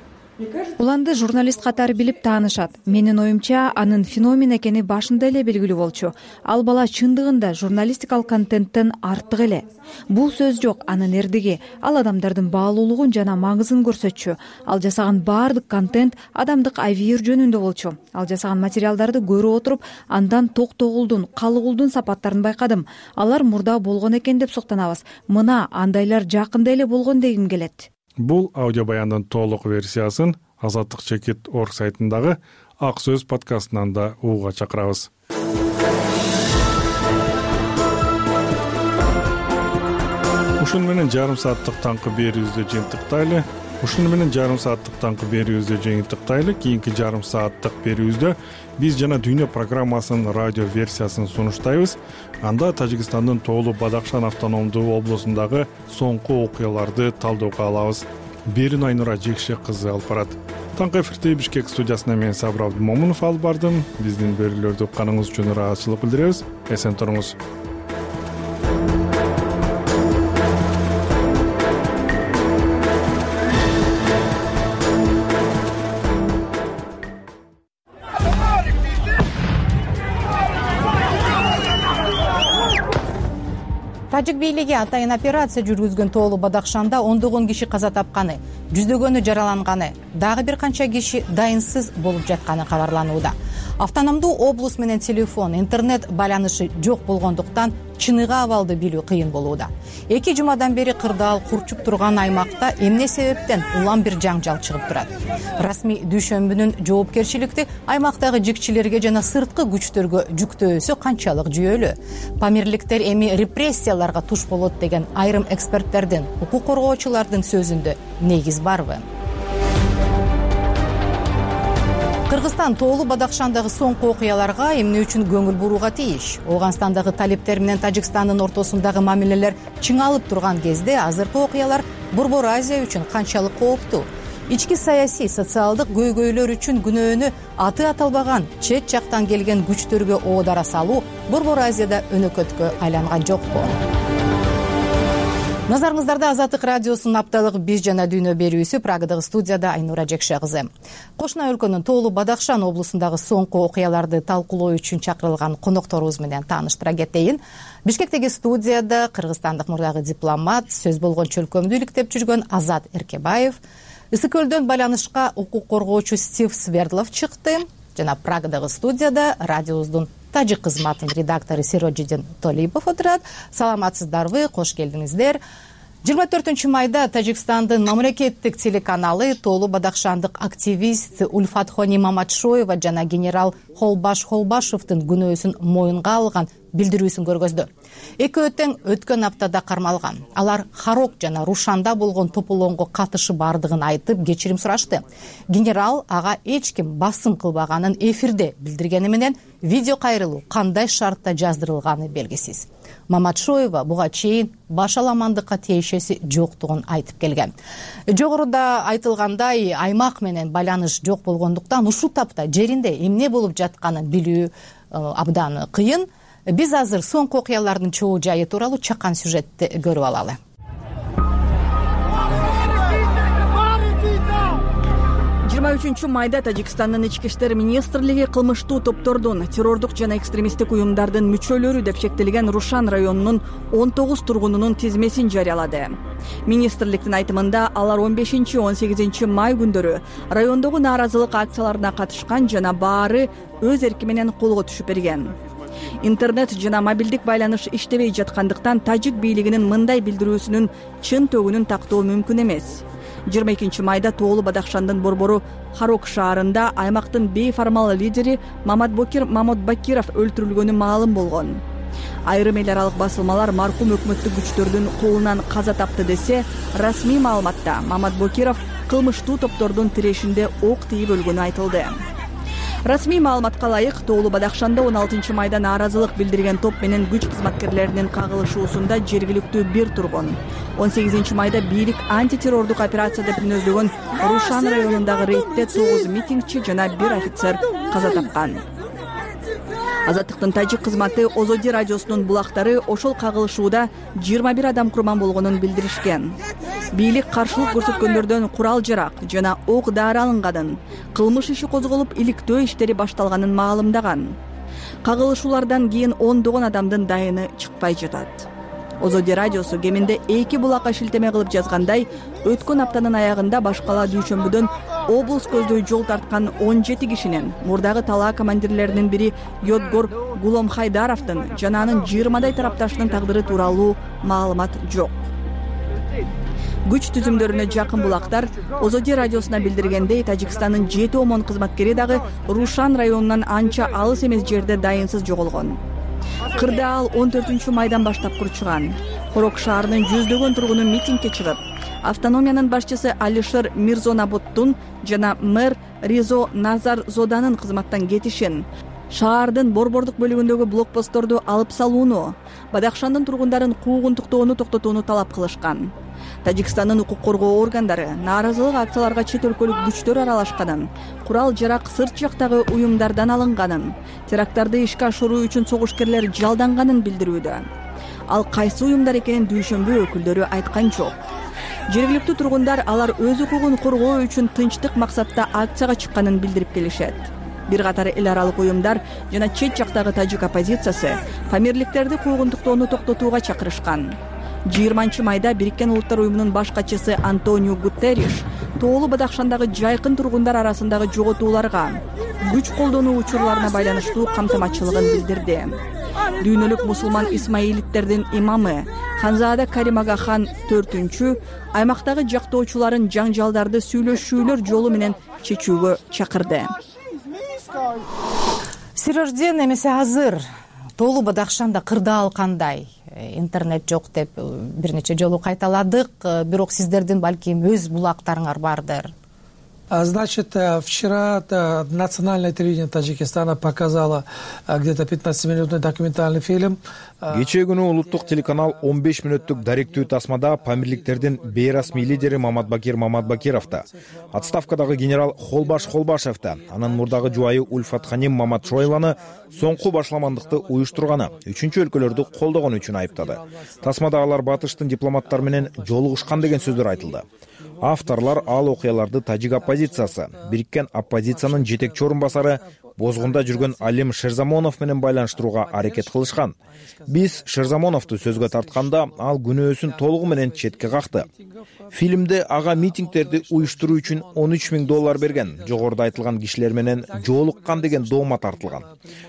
Уланды журналист катары билип таанышат. Менин оюмча, анын феномен экени башында эле белгилүү болчу. Ал бала чындыгында журналистикалык контенттен артык эле. Бул сөз жок, анын эрдиги, ал адамдардын баалуулугун жана маңызын көрсөтчү. Ал жасаган баардык контент адамдык авир жөнүндө болчу. Ал жасаган материалдарды көрүп отуруп, андан токтогулдун, калыгулдун сапаттарын байкадым. Алар мурда болгон экен деп суктанабыз. Мына андайлар жакында эле болгон дегим келет. Бул аудио баяндын толук версиясын Азаттык Чекит орг сайтындагы Ак сөз подкастынан да угууга чакырабыз. Ушун менен жарым сааттык таңкы берүүбүздү жыйынтыктайлы. Кийинки жарым сааттык берүүбүздө биз жана дүйнө программасынын радио версиясын сунуштайбыз. Анда Тажикстандын Тоолу Бадакшан автономдуу облусундагы соңку окуяларды талдөөгө алабыз. Берин Айнура Жекше кызы алып барат. Таңкы эфирди Бишкек студиясына мен Сабыр Абдымомунов алып бардым. Биздин берүүлөрдү укканыңыз үчүн ыраазычылык билдиребиз. Эсен туруңуз. Тажик бийлиги атайын операция жүргүзгөн Тоолу Бадахшанда ондогон киши каза тапканы, жүздөгөнү жараланганы, дагы бир канча киши дайынсыз болуп жатканы кабарланууда. Автономдуу облус менен телефон, интернет байланышы жок болгондуктан чыныгы абалды билүү кыйын болууда. 2 жумадан бери кырдаал курчуп турган аймакта эмне себептен улам бир жаңжал чыгып турат? Расмий дүйшөмбүнүн жоопкерчиликти аймактагы жикчилерге жана сырткы күчтөргө жүктөөсү канчалык жүйөлүү? Памирликтер эми репрессияларга туш болот деген айрым эксперттердин, укук коргоочулардын сөзүндө негиз барбы? Кыргызстан Тоолу Бадахшандагы соңку окуяларга эмне үчүн көңүл бурууга тийиш? Ооганстандагы талиптер менен Тажикстандын ортосундагы мамилелер чыңалып турган кезде азыркы окуялар Борбор Азия үчүн канчалык кооптуу? Ички саясий, социалдык көйгөйлөр үчүн күнөөнү аты аталбаган чет жактан келген күчтөргө оодара салуу Борбор Азияда өнөкөткө айланган жокпу? Назарыңыздарда Азаттык радиосунун апталык биз жана дүйнө берүүсү. Прагадагы студияда Айнура Жекше кызы. Кошуна өлкөнүн Тоолу Бадахшан облусундагы соңку окуяларды талкуулоо үчүн чакырылган конокторубуз менен тааныштыра кетейин. Бишкектеги студияда кыргызстандык мурдагы дипломат, сөз болгон чөлкөмдү иликтеп жүргөн Азат Эркебаев, Ысык көлдөн байланышка укук коргоочу Стив Свердлов чыкты. Жана Прагадагы студияда радиобуздун тажик кызматынын редактору Сироджидин Толипов отурат. Саламатсыздарбы, кош келдиңиздер. 24 майда Тажикстандын мамлекеттик телеканалы Тоолу Бадахшандык активист Ульфатхони Маматшоева жана генерал Холбаш Холбашевдин күнөөсүн моюнга алган билдирүүсүн көргөздү. Экөө тең өткөн аптада кармалган. Алар Харок жана Рушанда болгон тополоңго катышы бардыгын айтып, кечирим сурашты. Генерал ага эч ким басым кылбаганын эфирде билдиргени менен видео кайрылуу кандай шартта жаздырылганы белгисиз. Маматшоева буга чейин башаламандыкка тиешеси жоктугун айтып келген. Жогоруда айтылгандай, аймак менен байланыш жок болгондуктан ушул тапта жеринде эмне болуп жатканын билүү абдан кыйын. Биз азыр соңку окуялардын чоо жайы тууралуу чакан сюжетти көрүп алалы. Майда Тажикстандын ички иштер министрлиги кылмыштуу топтордун, террордук жана экстремисттик уюмдардын мүчөлөрү деп чектелген Рушан районунун 19 тургунунун тизмесин жарыялады. Министрликтин айтымында алар 15-18 май күндөрү райондогу нааразылык акцияларына катышкан жана баары өз эрки менен колго түшүп берген. Интернет жана мобилдик байланыш иштебей жаткандыктан тажик бийлигинин мындай билдирүүсүнүн чын төгүнүн тактоо мүмкүн эмес. 22 майда Тоолу Бадахшандын борбору Харок шаарында аймактын бейформал лидери Маматбокир Маматбакиров өлтүрүлгөнү маалым болгон. Айрым эл аралык басылмалар маркум өкмөттүк күчтөрдүн колунан каза тапты десе, расмий маалыматта Маматбокиров кылмыштуу топтордун тирешинде ок тийип өлгөнү айтылды. Расмий маалыматка ылайык, Тоолу Бадахшанда 16 майда нааразылык билдирген топ менен күч кызматкерлеринин кагылышуусунда жергиликтүү бир тургун. 18 майда бийлик антитеррордук операция деп мүнөздөгөн Рушан районундагы рейдте 9 митингчи жана 1 офицер каза тапкан. Азаттыктын тажик кызматы Озоди радиосунун булактары ошол кагылышууда 21 адам курман болгонун билдиришкен. Бийлик каршылык көрсөткөндөрдөн курал-жарак жана ок-дары алынганын, кылмыш иши козголуп, иликтөө иштери башталганын маалымдаган. Кагылышуулардан кийин ондогон адамдын дайыны чыкпай жатат. Озоди радиосу кеминде 2 булакка шилтеме кылып жазгандай, өткөн аптанын аягында башкала дүйшөмбүдөн облус көздөй жол тарткан 17 кишинин, мурдагы талаа командирлеринин бири Йодгор Гуломхайдаровдун жана анын 20дай тарапташынын тагдыры тууралуу маалымат жок. Күч түзүмдөрүнө жакын булактар Озоди радиосуна билдиргендей, Тажикстандын 7 омон кызматкери дагы Рушан районунан анча алыс эмес жерде дайынсыз жоголгон. Кырдаал 14 майдан баштап курчуган. Хорок шаарынын жүздөгөн тургуну митингге чыгып, автономиянын башчысы Алишер Мирзонаботтун жана мэр Ризо Назарзоданын кызматтан кетишин, шаардын борбордук бөлүгүндөгү блокпостторду алып салууну, Бадахшандын тургундарын куугунтуктоону токтотууну талап кылышкан. Тажикстандын укук коргоо органдары нааразылык акцияларга чет өлкөлүк күчтөр аралашканын, курал-жарак сырт жактагы уюмдардан алынганын, теракттарды ишке ашыруу үчүн согушкерлер жалданганын билдирүүдө. Ал кайсы уюмдар экенин дүйшөмбү өкүлдөрү айткан жок. Жергиликтүү тургундар алар өз укугун коргоо үчүн тынчтык максатта акцияга чыкканын билдирип келишет. Бир катар эл аралык уюмдар жана чет жактагы тажик оппозициясы памирликтерди куугунтуктоону токтотууга чакырышкан. 20-майда Бириккен Улуттар уюмунун баш катчысы Антонио Гутерриш Тоолу Бадахшандагы жайкын тургундар арасындагы жоготууларга, күч колдонуу учурларына байланыштуу камтаматчылыгын билдирди. Дүйнөлүк мусулман исмаилиттердин имамы Ханзада Карим Агахан 4-чү аймактагы жактоочуларын жаңжалдарды сүйлөшүүлөр жолу менен чечүүгө чакырды. Сирожден эмесе азыр Тоолу Бадахшанда кырдаал кандай? Интернет жок деп бир нече жолу кайталадык, бирок сиздердин балким өз булактарыңар бардыр. Значит, вчера национальное телевидение Таджикистана показало где-то 15-минутный документальный фильм. Кечээ күнү улуттук телеканал 15 мүнөттүк даректүү тасмада памирликтердин бейрасмий лидери Маматбакир Маматбакировду, отставкадагы генерал Холбашевду, анын мурдагы жубайы Ульфат Ханим Маматшоеваны соңку башламандыкты уюштурганы, үчүнчү өлкөлөрдү колдогон үчүн айыптады. Тасмада алар батыштын дипломаттары менен жолугушкан деген сөздөр айтылды. Авторлар ал окуяларды тажик оппозициясы, Бириккен оппозициянын жетекчи орун басары бозгунда жүргөн Алим Шерзамонов менен байланыштырууга аракет кылышкан. Биз Шерзамоновду сөзгө тартканда ал күнөөсүн толугу менен четке какты. Фильмде ага митингдерди уюштуруу үчүн $13,000 берген, жогоруда айтылган кишилер менен жолуккан деген доомат тартылган.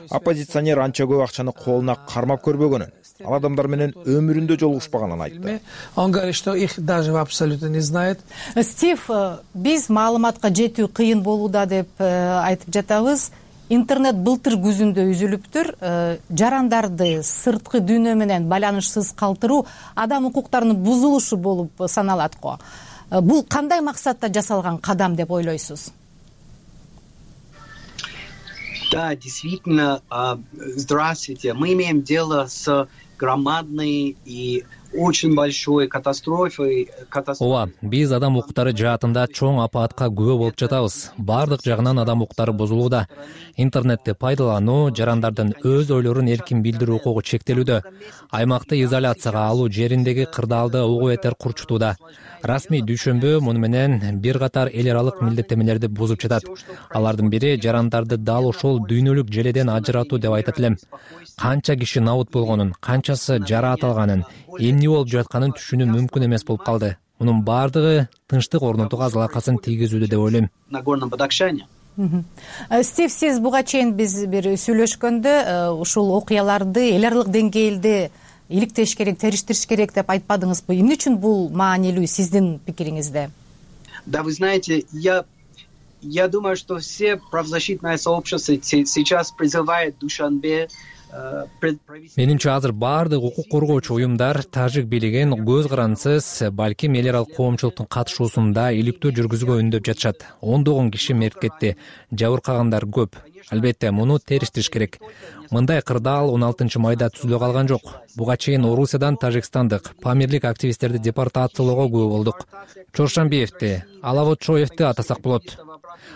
Оппозиционер анча көп акчаны колуна кармап көрбөгөнүн, ал адамдар менен өмүрүндө жолугушпаганын айтты. Он говорит, что их даже абсолютно не знает. Стив, биз маалыматка жетүү кыйын болууда деп айтып жатабыз. Интернет былтыр күзүндө үзүлүптүр. Жарандарды сырткы дүйнө менен байланышсыз калтыруу адам укуктарынын бузулушу болуп саналат го. Бул кандай максатта жасалган кадам деп ойлойсуз? Да, действительно, здравствуйте. Мы имеем дело с громадной и очень большой катастрофой. Ооба, биз адам укуктары жаатында чоң апаатка күбө болуп жатабыз. Бардык жагынан адам укуктары бузулууда. Интернетти пайдалануу, жарандардын өз ойлорун эркин билдирүү укугу чектелүүдө. Аймакты изоляцияга алуу жериндеги кырдаалды угу этер курчутууда. Расмий дүйшөмбү муну менен бир катар эл аралык милдеттемелерди бузуп жатат. Алардын бири жарандарды дал ошол дүйнөлүк желеден ажыратуу деп айтат элем. Канча киши набут болгонун, канчасы жараат алганын, эмне болуп жатканын түшүнүү мүмкүн эмес болуп калды. Мунун бардыгы тынчтык орнотууга залакасын тийгизүүдө деп ойлойм. На Горном Бадахшане. Стив, сиз буга чейин биз бир сүйлөшкөндө ушул окуяларды эл аралык деңгээлде иликтеш керек, териштириш керек деп айтпадыңызбы? Эмне үчүн бул маанилүү сиздин пикириңизде? Да, вы знаете, я думаю, что все правозащитное сообщество сейчас призывает Душанбе. Менимче азыр баардык укук коргоочу уюмдар тажик бийлигин көз карандысыз, балким эл аралык коомчулуктун катышуусунда иликтөө жүргүзүүгө үндөп жатышат. Ондогон киши мерт кетти, жабыркагандар көп. Албетте, муну териштириш керек. Мындай кырдаал 16-майда түзүлө калган жок. Буга чейин Орусиядан тажикстандык памирлик активисттерди депортациялоого күбө болдук. Чоршанбиевди, Алавотшоевди атасак болот.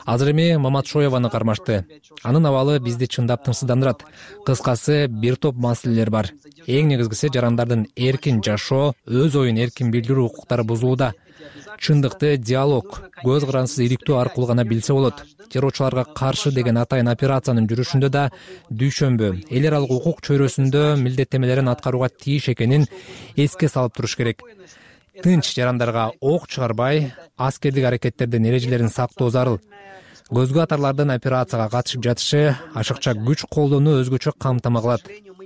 Азыр эми Маматшоеваны кармашты. Анын абалы бизди чындап тынчсыздандырат. Кыскасы, бир топ маселелер бар. Эң негизгиси жарандардын эркин жашоо, өз оюн эркин билдирүү укуктары бузулууда. Чындыкты диалог, көз карандысыз иликтөө аркылуу гана билсе болот. Террорчуларга каршы деген атайын операциянын жүрүшүндө да дүйшөмбү эл аралык укук чөйрөсүндө милдеттемелерин аткарууга тийиш экенин эске салып туруш керек. Тынч жарандарга ок чыгарбай, аскердик аракеттердин эрежелерин сактоо зарыл. Көзгө атарлардын операцияга катышып жатышы ашыкча күч колдонуу өзгөчө камтама кылат.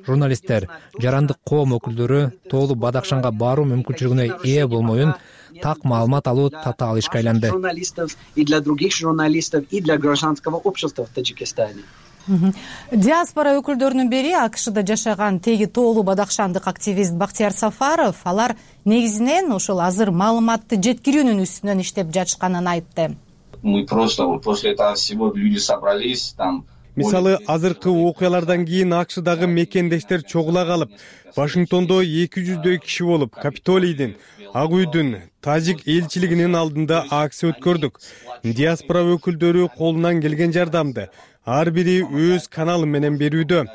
Журналисттер, жарандык коом өкүлдөрү Тоолу Бадахшанга баруу мүмкүнчүлүгүнө ээ болмоюн так маалымат алуу татаал ишке айланды. Журналистов и для других журналистов, и для гражданского общества в Таджикистане. Диаспора өкүлдөрүнүн бири АКШда жашаган теги Тоолу Бадахшандык активист Бактияр Сафаров, алар негизинен ошол азыр маалыматты жеткирүүнүн үстүнөн иштеп жатышканын айтты. Мы просто после этого всего люди собрались, там мисалы азыркы окуялардан кийин АКШдагы мекендештер чогула калып, Вашингтондо 200дөй киши болуп, Капитолийдин, Ак үйдүн, тажик элчилигинин алдында акция өткөрдүк. Диаспора өкүлдөрү колунан келген жардамды ар бири өз каналы менен берүүдө.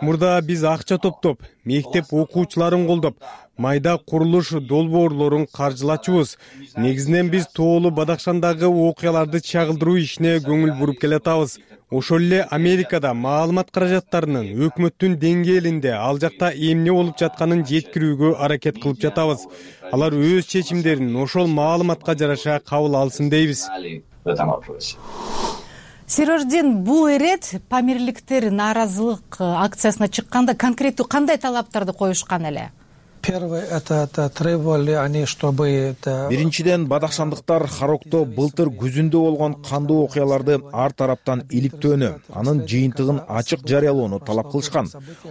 Мурда биз акча топтоп, мектеп окуучуларын колдоп, майда курулуш долбоорлорун каржылачубуз. Негизинен биз Тоолу Бадакшандагы окуяларды чагылдыруу ишине көңүл буруп келатабыз. Ошол эле Америкада маалымат каражаттарынын өкмөттүн деңгээлинде ал жакта эмне болуп жатканын жеткирүүгө аракет кылып жатабыз. Алар өз чечимдерин ошол маалыматка жараша кабыл алсын дейбиз. Серождин, бул ирет памирликтер нааразылык акциясына чыкканда конкреттүү кандай талаптарды коюшкан эле? Первое, это требовали они, чтобы... Биринчиден, бадакшандыктар Харокто былтыр күзүндө болгон кандуу окуяларды ар тараптан иликтөөнү, анын жыйынтыгын ачык жарыялоону талап кылышкан.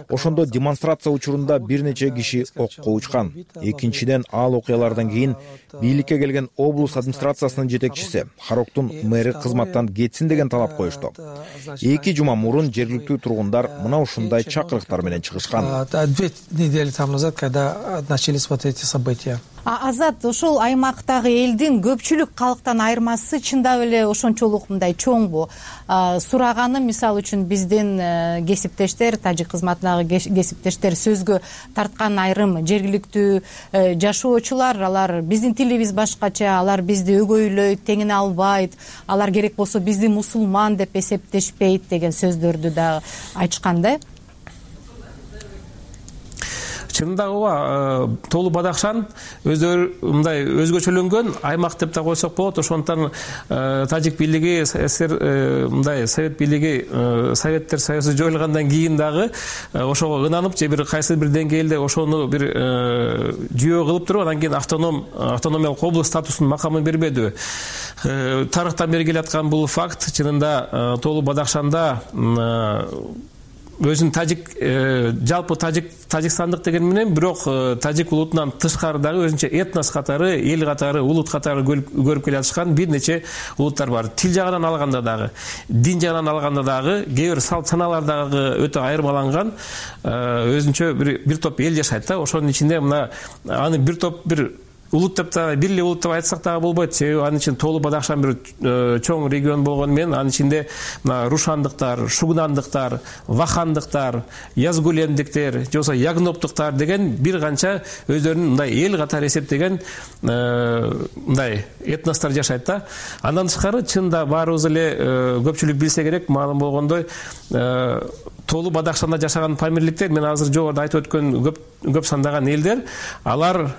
Ошондо демонстрация учурунда бир нече киши окко учкан. Экинчиден, ал окуялардан кийин бийликке келген облус администрациясынын жетекчиси Хароктун мэри кызматтан кетсин деген талап коюшту. 2 жума мурун жергиликтүү тургундар мына ушундай чакырыктар менен чыгышкан. 2 недели тому назад, когда начались вот эти события. Азат, ошол аймактагы элдин көпчүлүк калктан айырмасы чындап эле ошончолук мындай чоңбу? Сураганым, мисалы үчүн биздин кесиптештер, тажик кызматындагы кесиптештер сөзгө тарткан айрым жергиликтүү жашоочулар, алар биздин тилибиз башкача, алар бизди өгөйлөйт, теңине албайт, алар керек болсо бизди мусулман деп эсептешпейт деген сөздөрдү да айтышкан да. Чынында ооба, Тоолу Бадакшан өздөрү мындай өзгөчөлөнгөн аймак деп да койсок болот. Ошондон тажик бийлиги, мындай совет бийлиги, Советтер Союзу жоюлгандан кийин дагы ошого ынанып, же бир кайсы бир деңгээлде ошону бир жүйө кылып туруп, анан кийин автономиялык область статусун, макамын бербедиби. Тарыхтан бери келаткан бул факт. Чынында Тоолу Бадакшанда өзүн тажик, жалпы тажикстандык деген менен, бирок тажик улутунан тышкары дагы өзүнчө этнос катары, эл катары, улут катары көрүп келатышкан бир нече улуттар бар. Тил жагынан алганда дагы, дин жагынан алганда дагы, кээ бир салт саналар дагы өтө айырмаланган өзүнчө бир топ эл жашайт да. Ошонун ичинде мына аны бир топ бир улут деп да, бир эле улут деп айтсак дагы болбойт. Себеби анын ичинде Тоолу Бадакшан бир чоң регион болгону менен анын ичинде мына рушандыктар, шугнандыктар, вахандыктар, язгулемдиктер, же болбосо ягноптуктар деген бир канча өздөрүнүн мындай эл катары эсептеген мындай этностор жашайт да. Андан тышкары чында баарыбыз эле көпчүлүк билсе керек, маалым болгондой Тоолу Бадакшанда жашаган памирликтер, мен азыр жогоруда айтып өткөн көп сандаган элдер, алар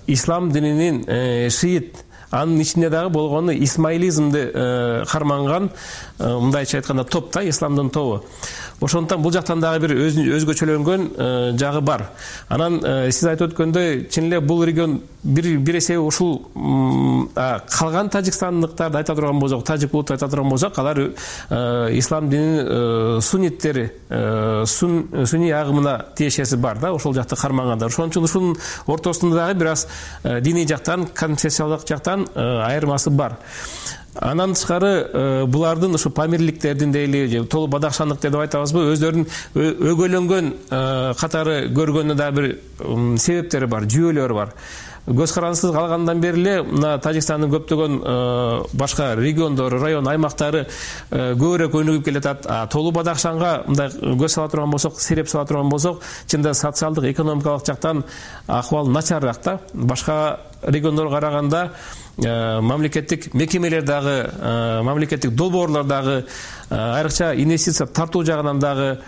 ислам дининин шиит, анын ичинде дагы болгону исмаилизмди карманган, мындайча айтканда топ да, исламдын тобу. Ошондуктан бул жактан дагы бир өзгөчөлөнгөн жагы бар. Анан сиз айтып өткөндөй, чын эле бул регион бир эсеби ушул калган тажикстандыктарды айта турган болсок, тажик улуту айта турган болсок, алар ислам дининин сунниттери, сунни агымына тиешеси бар да, ошол жакты кармагандар. Ошон үчүн ушунун ортосунда дагы бир аз диний жактан, конфессиялык жактан айырмасы бар. Андан тышкары булардын ушу памирликтердин дейли, Тоолу Бадакшандык деп айтабызбы, өздөрүнүн өгөйлөнгөн катары көргөнүнө да бир себептери бар, жүйөлөрү бар. Көз карандысыз калгандан бери эле мына Тажикстандын көптөгөн башка региондору, район, аймактары көбүрөөк өнүгүп келатат. Тоолу Бадакшанга мындай көз сала турган болсок, сереп сала турган болсок, чында социалдык, экономикалык жактан акыбал начарыраак да. Башка региондорго караганда мамлекеттик мекемелер дагы, мамлекеттик долбоорлор дагы, айрыкча инвестиция тартуу жагынан дагы,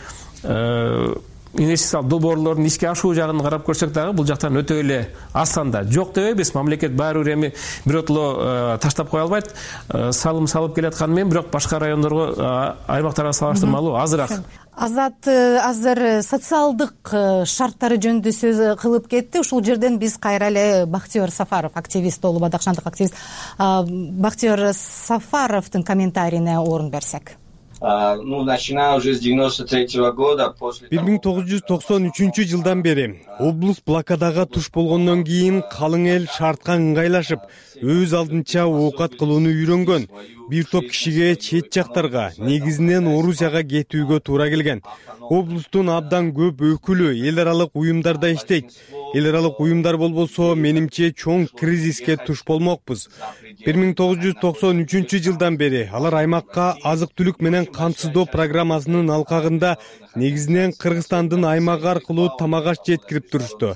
инвестициялык долбоорлордун ишке ашуу жагын карап көрсөк дагы бул жактан өтө эле астанда. Жок дебейбиз, мамлекет баары бир эми биротоло таштап кое албайт. Салым салып келатканы менен, бирок башка райондорго, аймактарга салыштырмалуу азыраак. Азат азыр социалдык шарттары жөнүндө сөз кылып кетти. Ушул жерден биз кайра эле Бактиер Сафаров, активист, Тоолу Бадакшандык активист Бактиер Сафаровдун комментарийине орун берсек. Начиная уже с 93-го года, после 1993 жылдан бери облус блокадага туш болгондон кийин калың эл шартка ыңгайлашып, өз алдынча оокат кылууну үйрөнгөн. Бир топ кишиге чет жактарга, негизинен Орусияга кетүүгө туура келген. Облустун абдан көп өкүлү эл аралык уюмдарда иштейт. Эл аралык уюмдар болбосо, менимче чоң кризиске туш болмокпуз. 1993 жылдан бери алар аймакка азык-түлүк менен камсыздоо программасынын алкагында негизинен Кыргызстандын аймагы аркылуу тамак аш жеткирип турушту.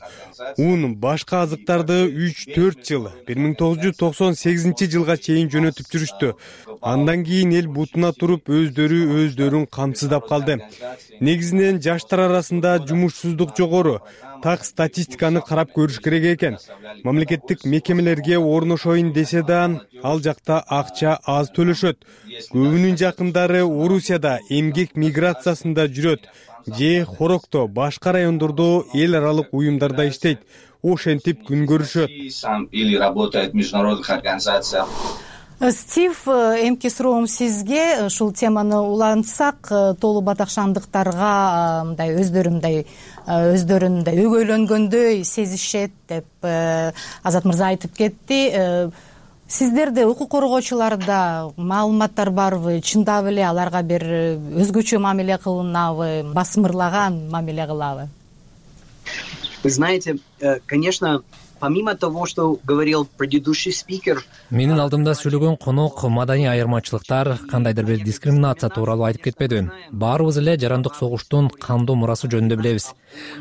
Ун башка азыктарды 3-4 жыл 1998 жылга чейин жөнөтүп жүрүштү. Андан кийин эл бутуна туруп өздөрүн камсыздап калды. Негизинен жаштар арасында жумушсуздук жогору. Так статистиканы карап көрүш керек экен. Мамлекеттик мекемелерге орношоюн десе да, ал жакта акча аз төлөшөт. Көбүнүн жакындары Орусияда эмгек миграциясында жүрөт же Хорокто, башка райондордо эл аралык уюмдарда иштейт. Ошентип күн көрүшөт. Или работает в международных организациях. Стив, эмки суроом сизге ушул теманы улантсак, толу батакшандыктарга мындай өздөрүн өгөйлөнгөндөй сезишет деп Азат мырза айтып кетти. Сиздерде укук коргоочуларда маалыматтар барбы? Чындап эле аларга бир өзгөчө мамиле кылынабы, басмырлаган мамиле кылабы? Вы знаете, конечно, помимо того, что говорил предыдущий спикер, менин алдымда сүйлөгөн конок маданий айырмачылыктар, кандайдыр бир дискриминация тууралуу айтып кетпеди. Баарыбыз эле жарандык согуштун кандуу мурасы жөнүндө билебиз.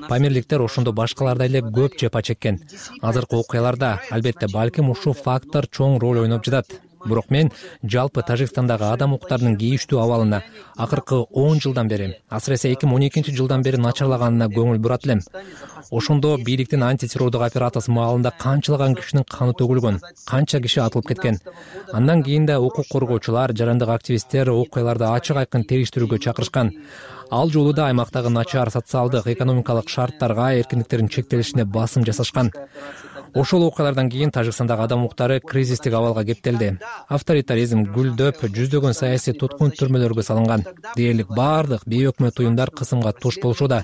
Памирликтер ошондо башкалардай эле көп жапа чеккен. Азыркы окуяларда албетте балким ушул фактор чоң роль ойноп жатат. Бирок мен жалпы Тажикстандагы адам укуктарынын кейиштүү абалына акыркы 10 жылдан бери, асыресе 2012 жылдан бери начарлаганына көңүл бурат элем. Ошондо бийликтин антитеррордук операциясы маалында канчалаган кишинин каны төгүлгөн, канча киши атылып кеткен. Андан кийин да укук коргоочулар, жарандык активисттер окуяларды ачык айкын териштирүүгө чакырышкан. Ал жолу да аймактагы начар социалдык, экономикалык шарттарга, эркиндиктердин чектелишине басым жасашкан. Ошол окуялардан кийин Тажикстандагы адам укуктары кризистик абалга кептелди. Авторитаризм гүлдөп, жүздөгөн саясий туткун түрмөлөргө салынган. Дээрлик бардык бейөкмөт уюмдар кысымга туш болушууда.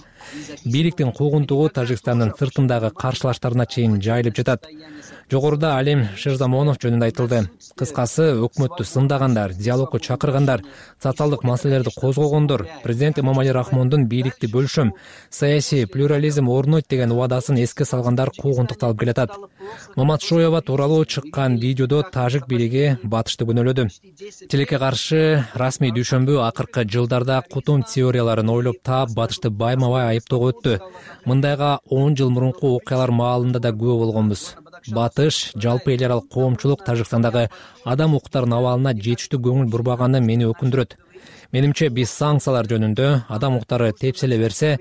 Бийликтин куугунтугу Тажикстандын сыртындагы каршылаштарына чейин жайылып жатат. Жогоруда Алим Шерзамонов жөнүндө айтылды. Кыскасы, өкмөттү сындагандар, диалогко чакыргандар, социалдык маселелерди козгогондор, президент Эмомали Рахмондун бийликти бөлүшөм, саясий плюрализм орнойт деген убадасын эске салгандар куугунтукталып келатат. Маматшоева тууралуу чыккан видеодо тажик бийлиги батышты күнөөлөдү. Тилекке каршы расмий дүйшөмбү акыркы жылдарда кутум теорияларын ойлоп таап батышты байма-бай айыптоого өттү. Мындайга 10 жыл мурунку окуялар маалында да күбө болгонбуз. Батыш, жалпы эл аралык коомчулук Тажикстандагы адам укуктарынын абалына жетиштүү көңүл бурбаганы мени өкүндүрөт. Менимче биз санкциялар жөнүндө адам укуктары тепселе берсе,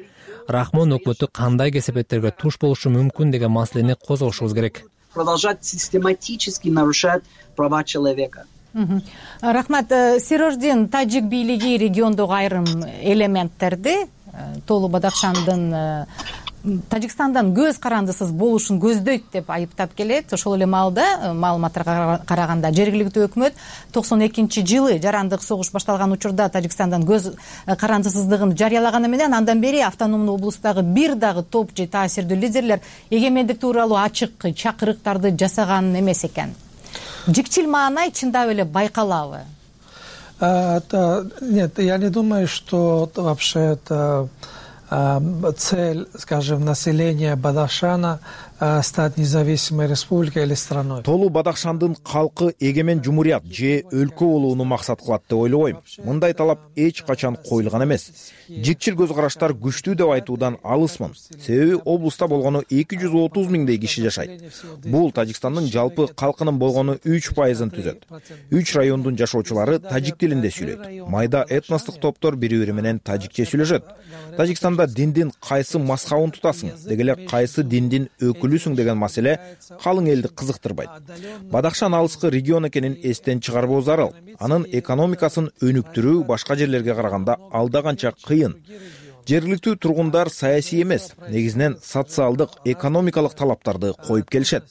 Рахмон өкмөтү кандай кесепеттерге туш болушу мүмкүн деген маселени козгошубуз керек. Продолжать систематически нарушать права человека. Рахмат. Сирождин, тажик бийлиги региондогу айрым элементтерди Толу Бадакшандын Тажикстандан көз карандысыз болушун көздөйт деп айыптап келет. Ошол эле маалда маалыматтарга караганда жергиликтүү өкмөт 92 жылы жарандык согуш башталган учурда Тажикстандан көз карандысыздыгын жарыялаганы менен андан бери автономдуу облустагы бир дагы топ же таасирдүү лидерлер эгемендик тууралуу ачык чакырыктарды жасаган эмес экен. Жикчил маанай чындап эле байкалабы? Нет, я не думаю, что вообще это цель, скажем, населения Бадахшана стать независимой республикой или страной. Толу Бадахшандын калкы эгемен жумурият же өлкө болууну максат кылат деп ойлобойм. Мындай талап эч качан коюлган эмес. Жикчил көз караштар күчтүү деп айтуудан алысмын. Себеби облуста болгону 230 миңдей киши жашайт. Бул Тажикстандын жалпы калкынын болгону 3%-ын түзөт. 3 райондун жашоочулары тажик тилинде сүйлөйт. Майда этностук топтор бири-бири менен тажикче сүйлөшөт. Тажикстанда диндин кайсы мазхабын тутасың, деги эле кайсы диндин өкүлүсүң деген маселе калың элди кызыктырбайт. Бадахшан алыскы регион экенин эстен чыгарбоо зарыл. Анын экономикасын өнүктүрүү башка жерлерге караганда алда канча кыйын. Жергиликтүү тургундар саясий эмес, негизинен социалдык, экономикалык талаптарды коюп келишет.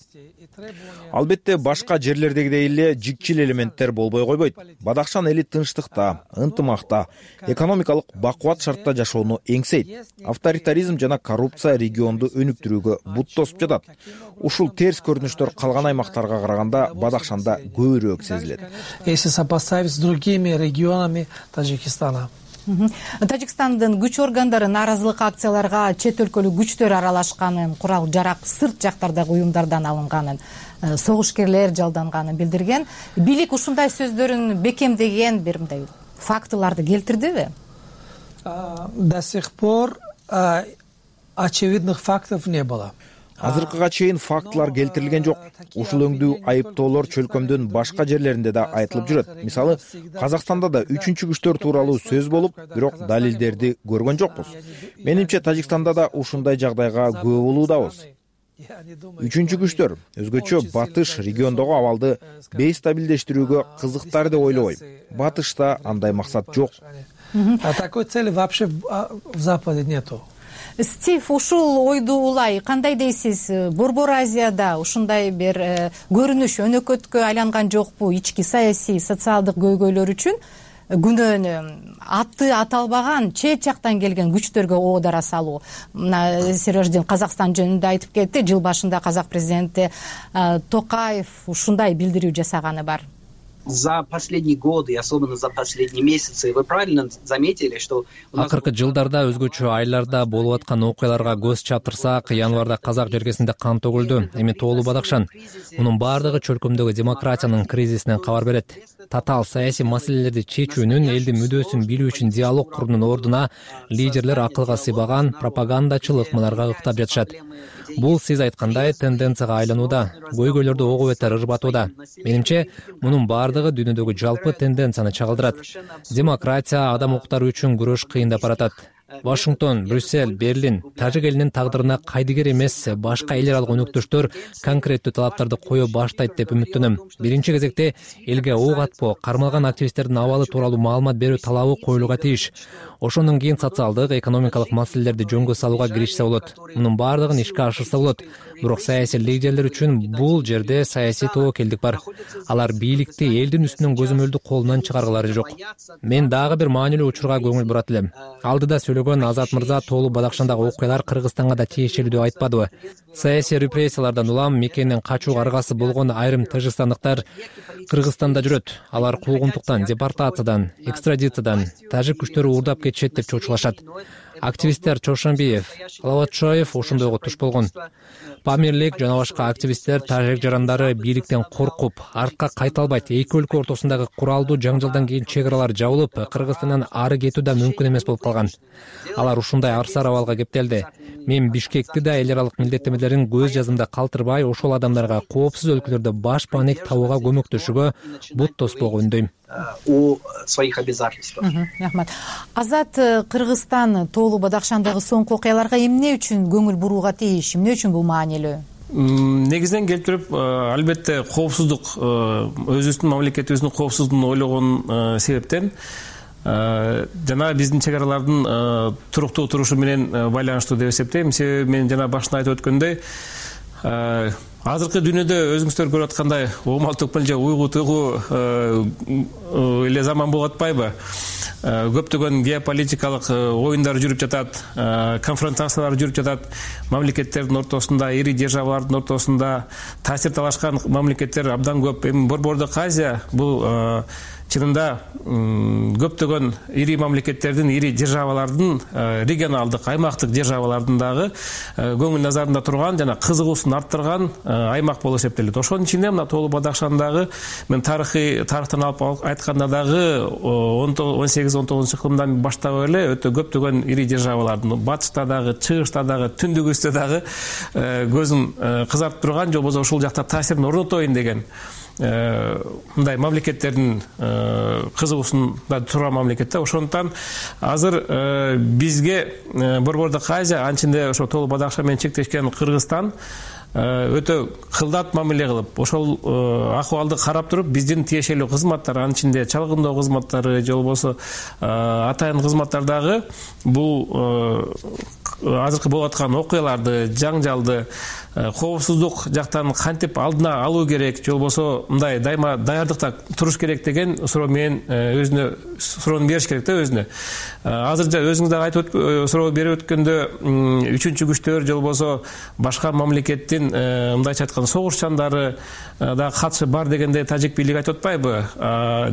Албетте башка жерлердегидей эле жикчил элементтер болбой койбойт. Бадахшан эли тынчтыкта, ынтымакта, экономикалык бакубат шартта жашоону эңсейт. Авторитаризм жана коррупция регионду өнүктүрүүгө бут тосуп жатат. Ушул терс көрүнүштөр калган аймактарга караганда Бадахшанда көбүрөөк сезилет. Если сопоставить с другими регионами Таджикистана. Тажикстандын күч органдары нааразылык акцияларга чет өлкөлүк күчтөр аралашканын, курал жарак сырт жактардагы уюмдардан алынганын, согушкерлер жалданганын билдирген. Бийлик ушундай сөздөрүн бекемдеген бир мындай фактыларды келтирдиби? До сих пор очевидных фактов не было. Азыркыга чейин фактылар келтирилген жок. Ушул өңдүү айыптоолор чөлкөмдүн башка жерлеринде да айтылып жүрөт. Мисалы, Казакстанда да үчүнчү күчтөр тууралуу сөз болуп, бирок далилдерди көргөн жокпуз. Менимче Тажикстанда да ушундай жагдайга күбө болуудабыз. Үчүнчү күчтөр өзгөчө Батыш региондогу абалды бейстабилдештирүүгө кызыктар деп ойлобойм. Батышта андай максат жок. Такой цели вообще в Западе нету. Стив, ушул ойду улай кандай дейсиз? Борбор Азияда ушундай бир көрүнүш өнөкөткө айланган жокпу? Ички саясий, социалдык көйгөйлөр үчүн күнөөнү аты аталбаган чет жактан келген күчтөргө оодара салуу. Сереждин Казакстан жөнүндө айтып кетти. Жыл башында казак президенти Токаев ушундай билдирүү жасаганы бар. За последние годы, особенно за последние месяцы, вы правильно заметили, что акыркы жылдарда өзгөчө айларда болуп аткан окуяларга көз чаптырсак, январда казак жергесинде кан төгүлдү. Эми Тоолу Бадахшан. Мунун баардыгы чөлкөмдөгү демократиянын кризисинен кабар берет. Татаал саясий маселелерди чечүүнүн, элдин мүдөөсүн билүү үчүн диалог куруунун ордуна лидерлер акылга сыйбаган пропагандачыл ыкмаларга ыктап жатышат. Бул сиз айткандай тенденцияга айланууда, көйгөйлөрдү ого бетер ырбатууда. Менимче, мунун баардыгы дүйнөдөгү жалпы тенденцияны чагылдырат. Демократия, адам укуктары үчүн күрөш кыйындап баратат. Вашингтон, Брюссель, Берлин тажик элинин тагдырына кайдыгер эмес башка эл аралык өнөктөштөр конкреттүү талаптарды кое баштайт деп үмүттөнөм. Биринчи кезекте элге ок атпоо, кармалган активисттердин абалы тууралуу маалымат берүү талабы коюлууга тийиш. Ошондон кийин социалдык, экономикалык маселелерди жөнгө салууга киришсе болот. Мунун баардыгын ишке ашырса болот. Бирок саясий лидерлер үчүн бул жерде саясий тобокелдик бар. Алар бийликти элдин үстүнөн көзөмөлдү колунан чыгаргылары жок. Мен дагы бир маанилүү учурга көңүл бурат элем. Алдыда сөйлөгөн Азат мырза Тоолу Бадахшандагы окуялар Кыргызстанга да тиешелүү деп айтпадыбы? Саясий репрессиялардан улам мекенинен качууга аргасы болгон айрым тажикстандыктар Кыргызстанда жүрөт. Алар куугунтуктан, депортациядан, экстрадициядан тажик күчтөрү уурдап кетишет деп чочулашат. Активисттер Чошонбиев, Лаватшоев ошондойго туш болгон. Памирлик жана башка активисттер тажик жарандары бийликтен коркуп, артка кайта албайт. Эки өлкө ортосундагы куралдуу жаңжалдан кийин чек аралар жабылып, Кыргызстандан ары кетүү да мүмкүн эмес болуп калган. Алар ушундай арсар абалга кептелди. Мен Бишкекти да эл аралык милдеттемелерин көз жазымда калтырбай, ошол адамдарга коопсуз өлкөлөрдө баш паанек табууга көмөктөшүүгө бут тоспоого үндөйм. О своих обязательствах. Рахмат. Азат, Кыргызстан Тоолу Бадахшандагы соңку окуяларга эмне үчүн көңүл бурууга тийиш? Эмне үчүн бул маанилүү? Негизинен келип туруп, албетте коопсуздук, өзүбүздүн мамлекетибиздин коопсуздугун ойлогон себептен жана биздин чек аралардын туруктуу турушу менен байланыштуу деп эсептейм. Себеби мен жана башында айтып өткөндөй, азыркы дүйнөдө өзүңүздөр көрүп аткандай угмал төкмөл же уйгу туйгу эле заман болуп атпайбы? Көптөгөн геополитикалык оюндар жүрүп жатат, конфронтациялар жүрүп жатат. Мамлекеттердин ортосунда, ири державалардын ортосунда таасир талашкан мамлекеттер абдан көп. Эми Борбордук Азия бул чынында көптөгөн ири мамлекеттердин, ири державалардын, регионалдык, аймактык державалардын дагы көңүл назарында турган жана кызыгуусун арттырган аймак болуп эсептелет. Ошонун ичинде мына Тоолу Бадахшандагы мен тарыхтан алып айтканда дагы 18-19 кылымдан баштап эле өтө көптөгөн ири державалардын, батышта дагы, чыгышта дагы, түндүгүстө дагы көзүн кызартып турган, же болбосо ушул жакта таасирин орнотоюн деген мындай мамлекеттердин кызыгуусунда турган мамлекеттер. Ошондуктан азыр бизге Борбордук Азия, анчинде ошо Тоолу Бадахшан менен чектешкен Кыргызстан өтө кылдат мамиле кылып, ошол акыбалды карап туруп, биздин тиешелүү кызматтар, анын ичинде чалгындоо кызматтары же болбосо атайын кызматтар дагы бул азыркы болуп аткан окуяларды, жаңжалды коопсуздук жактан кантип алдына алуу керек, же болбосо мындай дайыма даярдыкта туруш керек деген суроо менен өзүнө суроону бериш керек да өзүнө. Азырынча өзүңүз дагы айтып суроо берип өткөндө үчүнчү күчтөр же болбосо башка мамлекеттин мындайча айтканда согушчандары да катышы бар дегенде тажик бийлиги айтып атпайбы?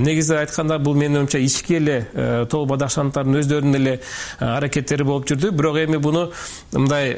Негизи айтканда бул менин оюмча ички эле Тоо Бадахшандардын өздөрүнүн эле аракеттери болуп жүрдү. Бирок эми буну мындай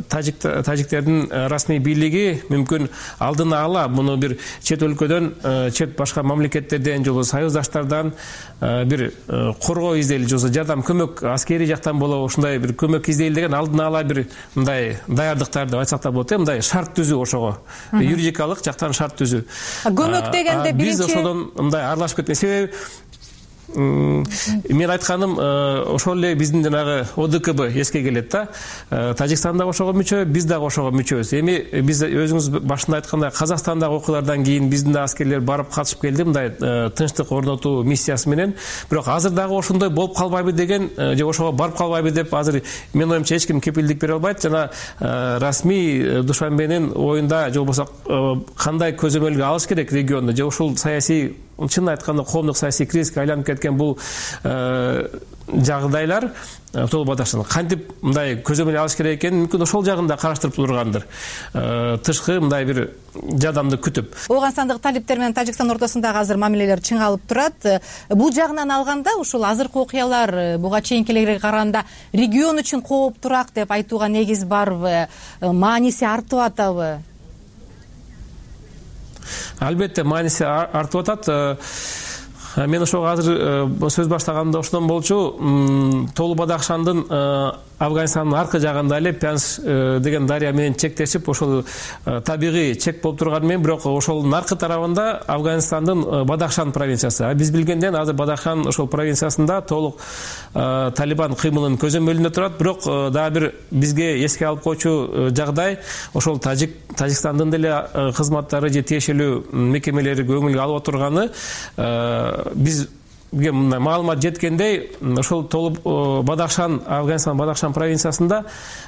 тажиктердин расмий бийлиги мүмкүн алдына ала муну бир чет өлкөдөн, чет башка мамлекеттерден же болбосо союздаштардан бир коргоо издейли, же болбосо жардам, көмөк аскерий жактан болобу ушундай бир көмөк издейли деген алдына ала бир мындай даярдыктар деп айтсак да болот, мындай шарт түзүү ошого. Юридикалык жактан шарт түзүү. Көмөк дегенде биринчи биз ошодон мындай аралашып кеткен себеби мен айтканым ошол эле биздин жанагы ОДКБ эске келет да. Тажикстан дагы ошого мүчө, биз дагы ошого мүчөбүз. Эми биз өзүңүз башында айткандай Казакстандагы окуялардан кийин биздин да аскерлер барып катышып келди мындай тынчтык орнотуу миссиясы менен. Бирок азыр дагы ошондой болуп калбайбы деген же ошого барып калбайбы деп азыр менин оюмча эч ким кепилдик бере албайт. Жана расмий Душанбенин оюнда же болбосо кандай көзөмөлгө алыш керек регионду, же ушул саясий, чын айтканда коомдук саясий кризиске айланып кеткен бул жагдайлар Тоо Бадахшан кантип мындай көзөмөл алыш керек экенин мүмкүн ошол жагын да караштырып тургандыр. Тышкы мындай бир жардамды күтүп. Ооганстандагы талиптер менен Тажикстан ортосундагы азыр мамилелер чыңалып турат. Бул жагынан алганда ушул азыркы окуялар буга чейинкилерге караганда регион үчүн кооптураак деп айтууга негиз барбы? Мааниси артып атабы? Албетте мааниси артып атат. Мен ошого азыр сөз баштаганда ошондон болчу, Тоо Бадахшандын Афганистандын аркы жагында эле Пянш деген дарыя менен чектешип, ошол табигый чек болуп турганы менен, бирок ошолдун аркы тарабында Афганистандын Бадахшан провинциясы. Биз билгенден азыр Бадахшан ошол провинциясында толук Талибан кыймылынын көзөмөлүндө турат. Бирок дагы бир бизге эске алып коючу жагдай, ошол Тажикстандын деле кызматтары же тиешелүү мекемелери көңүлгө алып отурганы, бизге мындай маалымат жеткендей, ошол Тоо Бадахшан, Афганистан Бадахшан провинциясында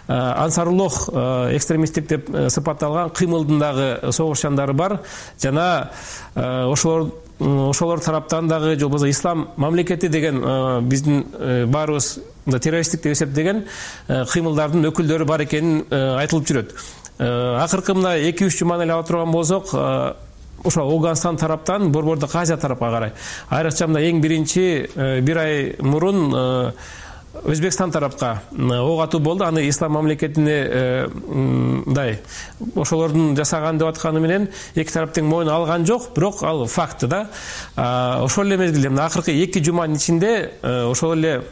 Ансаруллох экстремисттик деп сыпатталган кыймылдын дагы согушчандары бар. Жана ошолор тараптан дагы же болбосо ислам мамлекети деген биздин баарыбыз террористтик деп эсептеген кыймылдардын өкүлдөрү бар экени айтылып жүрөт. Акыркы мына 2-3 жуманы эле ала турган болсок, ошо Ооганстан тараптан Борбордук Азия тарапка карай, айрыкча мына эң биринчи бир ай мурун Өзбекстан тарапка ок атуу болду. Аны ислам мамлекетине мындай ошолордун жасаган деп атканы менен эки тараптын моюна алган жок, бирок ал факт да. Ошол эле мезгилде мына акыркы 2 жуманын ичинде ошол эле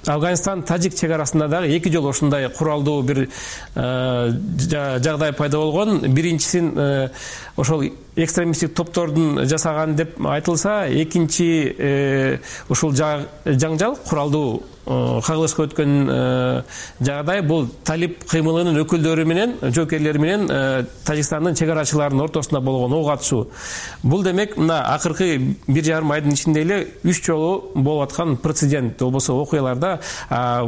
Афганистан Тажик чек арасында дагы 2 жолу ушундай куралдуу бир жагдай пайда болгон. Биринчисин ошол экстремисттик топтордун жасаган деп айтылса, экинчи ушул жаңжал куралдуу кагылышка өткөн жагдай бул талип кыймылынын өкүлдөрү менен, жоокерлери менен Тажикстандын чек арачыларынын ортосунда болгон ок атышуу. Бул демек мына акыркы 1,5 айдын ичинде эле 3 жолу болуп аткан прецедент, болбосо окуяларда.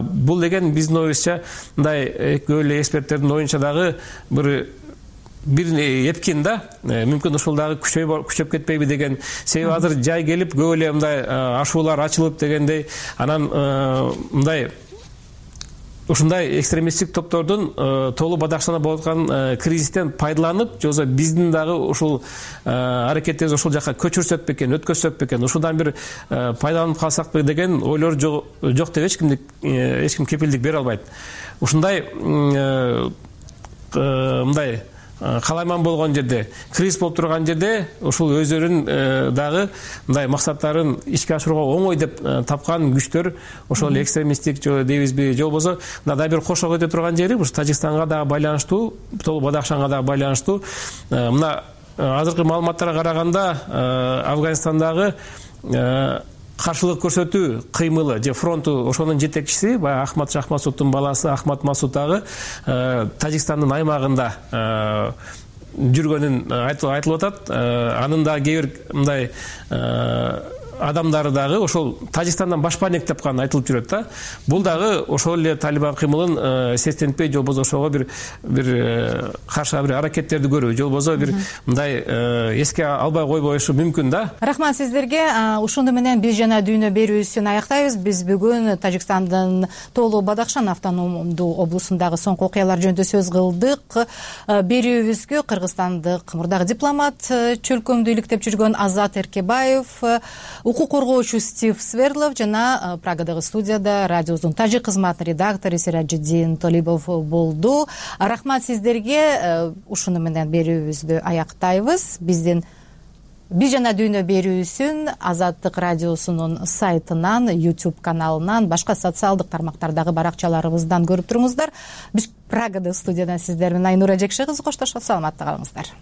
Бул деген биздин оюбузча мындай көп эле эксперттердин оюнча дагы бир эпкин да, мүмкүн ушул дагы күчөп кетпейби деген. Себеби азыр жай келип көп эле мындай ашуулар ачылып дегендей, анан мындай ушундай экстремисттик топтордун Тоо Бадахшанда болуп аткан кризистен пайдаланып, же болбосо биздин дагы ушул аракеттерибиз ушул жака көчүрсөк бекен, өткөзсөк бекен, ушудан бир пайдаланып калсакпы деген ойлор жок деп эч ким кепилдик бере албайт. Ушундай мындай калайман болгон жерде, кризис болуп турган жерде ушул өздөрүнүн дагы мындай максаттарын ишке ашырууга оңой деп тапкан күчтөр, ошол экстремисттик дейбизби, же болбосо мына да бир кошо өтө турган жери ушу Тажикстанга дагы байланыштуу, Тоо Бадахшанга дагы байланыштуу. Мына азыркы маалыматтарга караганда Афганистандагы каршылык көрсөтүү кыймылы же фронту, ошонун жетекчиси баягы Ахмад Шахмасуддун баласы Ахмад Масуд дагы Тажикстандын аймагында жүргөнүн айтылып атат. Анын да кээ бир мындай адамдары дагы ошол Тажикстандан башпанек тапканы айтылып жүрөт да. Бул дагы ошол эле Талибан кыймылын сестентпей, же болбосо ошого бир каршы бир аракеттерди көрүү, же болбосо бир мындай эске албай койбоюшу мүмкүн да. Рахмат сиздерге. Ушуну менен биз жана дүйнө берүүсүн аяктайбыз. Биз бүгүн Тажикстандын Тоолу Бадахшан автономдуу облусундагы соңку окуялар жөнүндө сөз кылдык. Берүүбүзгө кыргызстандык мурдагы дипломат, чөлкөмдү иликтеп жүргөн Азат Эркебаев, укук коргоочу Стив Сверлов жана Прагадагы студияда радиобуздун тажик кызматынын редактору Сиражиддин Толибов болду. Рахмат сиздерге. Ушуну менен берүүбүздү аяктайбыз. Биз жана дүйнө берүүсүн Азаттык радиосунун сайтынан, YouTube каналынан, башка социалдык тармактардагы баракчаларыбыздан көрүп туруңуздар. Биз Прагада студиядан сиздер менен Айнура Жекши кызы коштошот. Саламатта калыңыздар.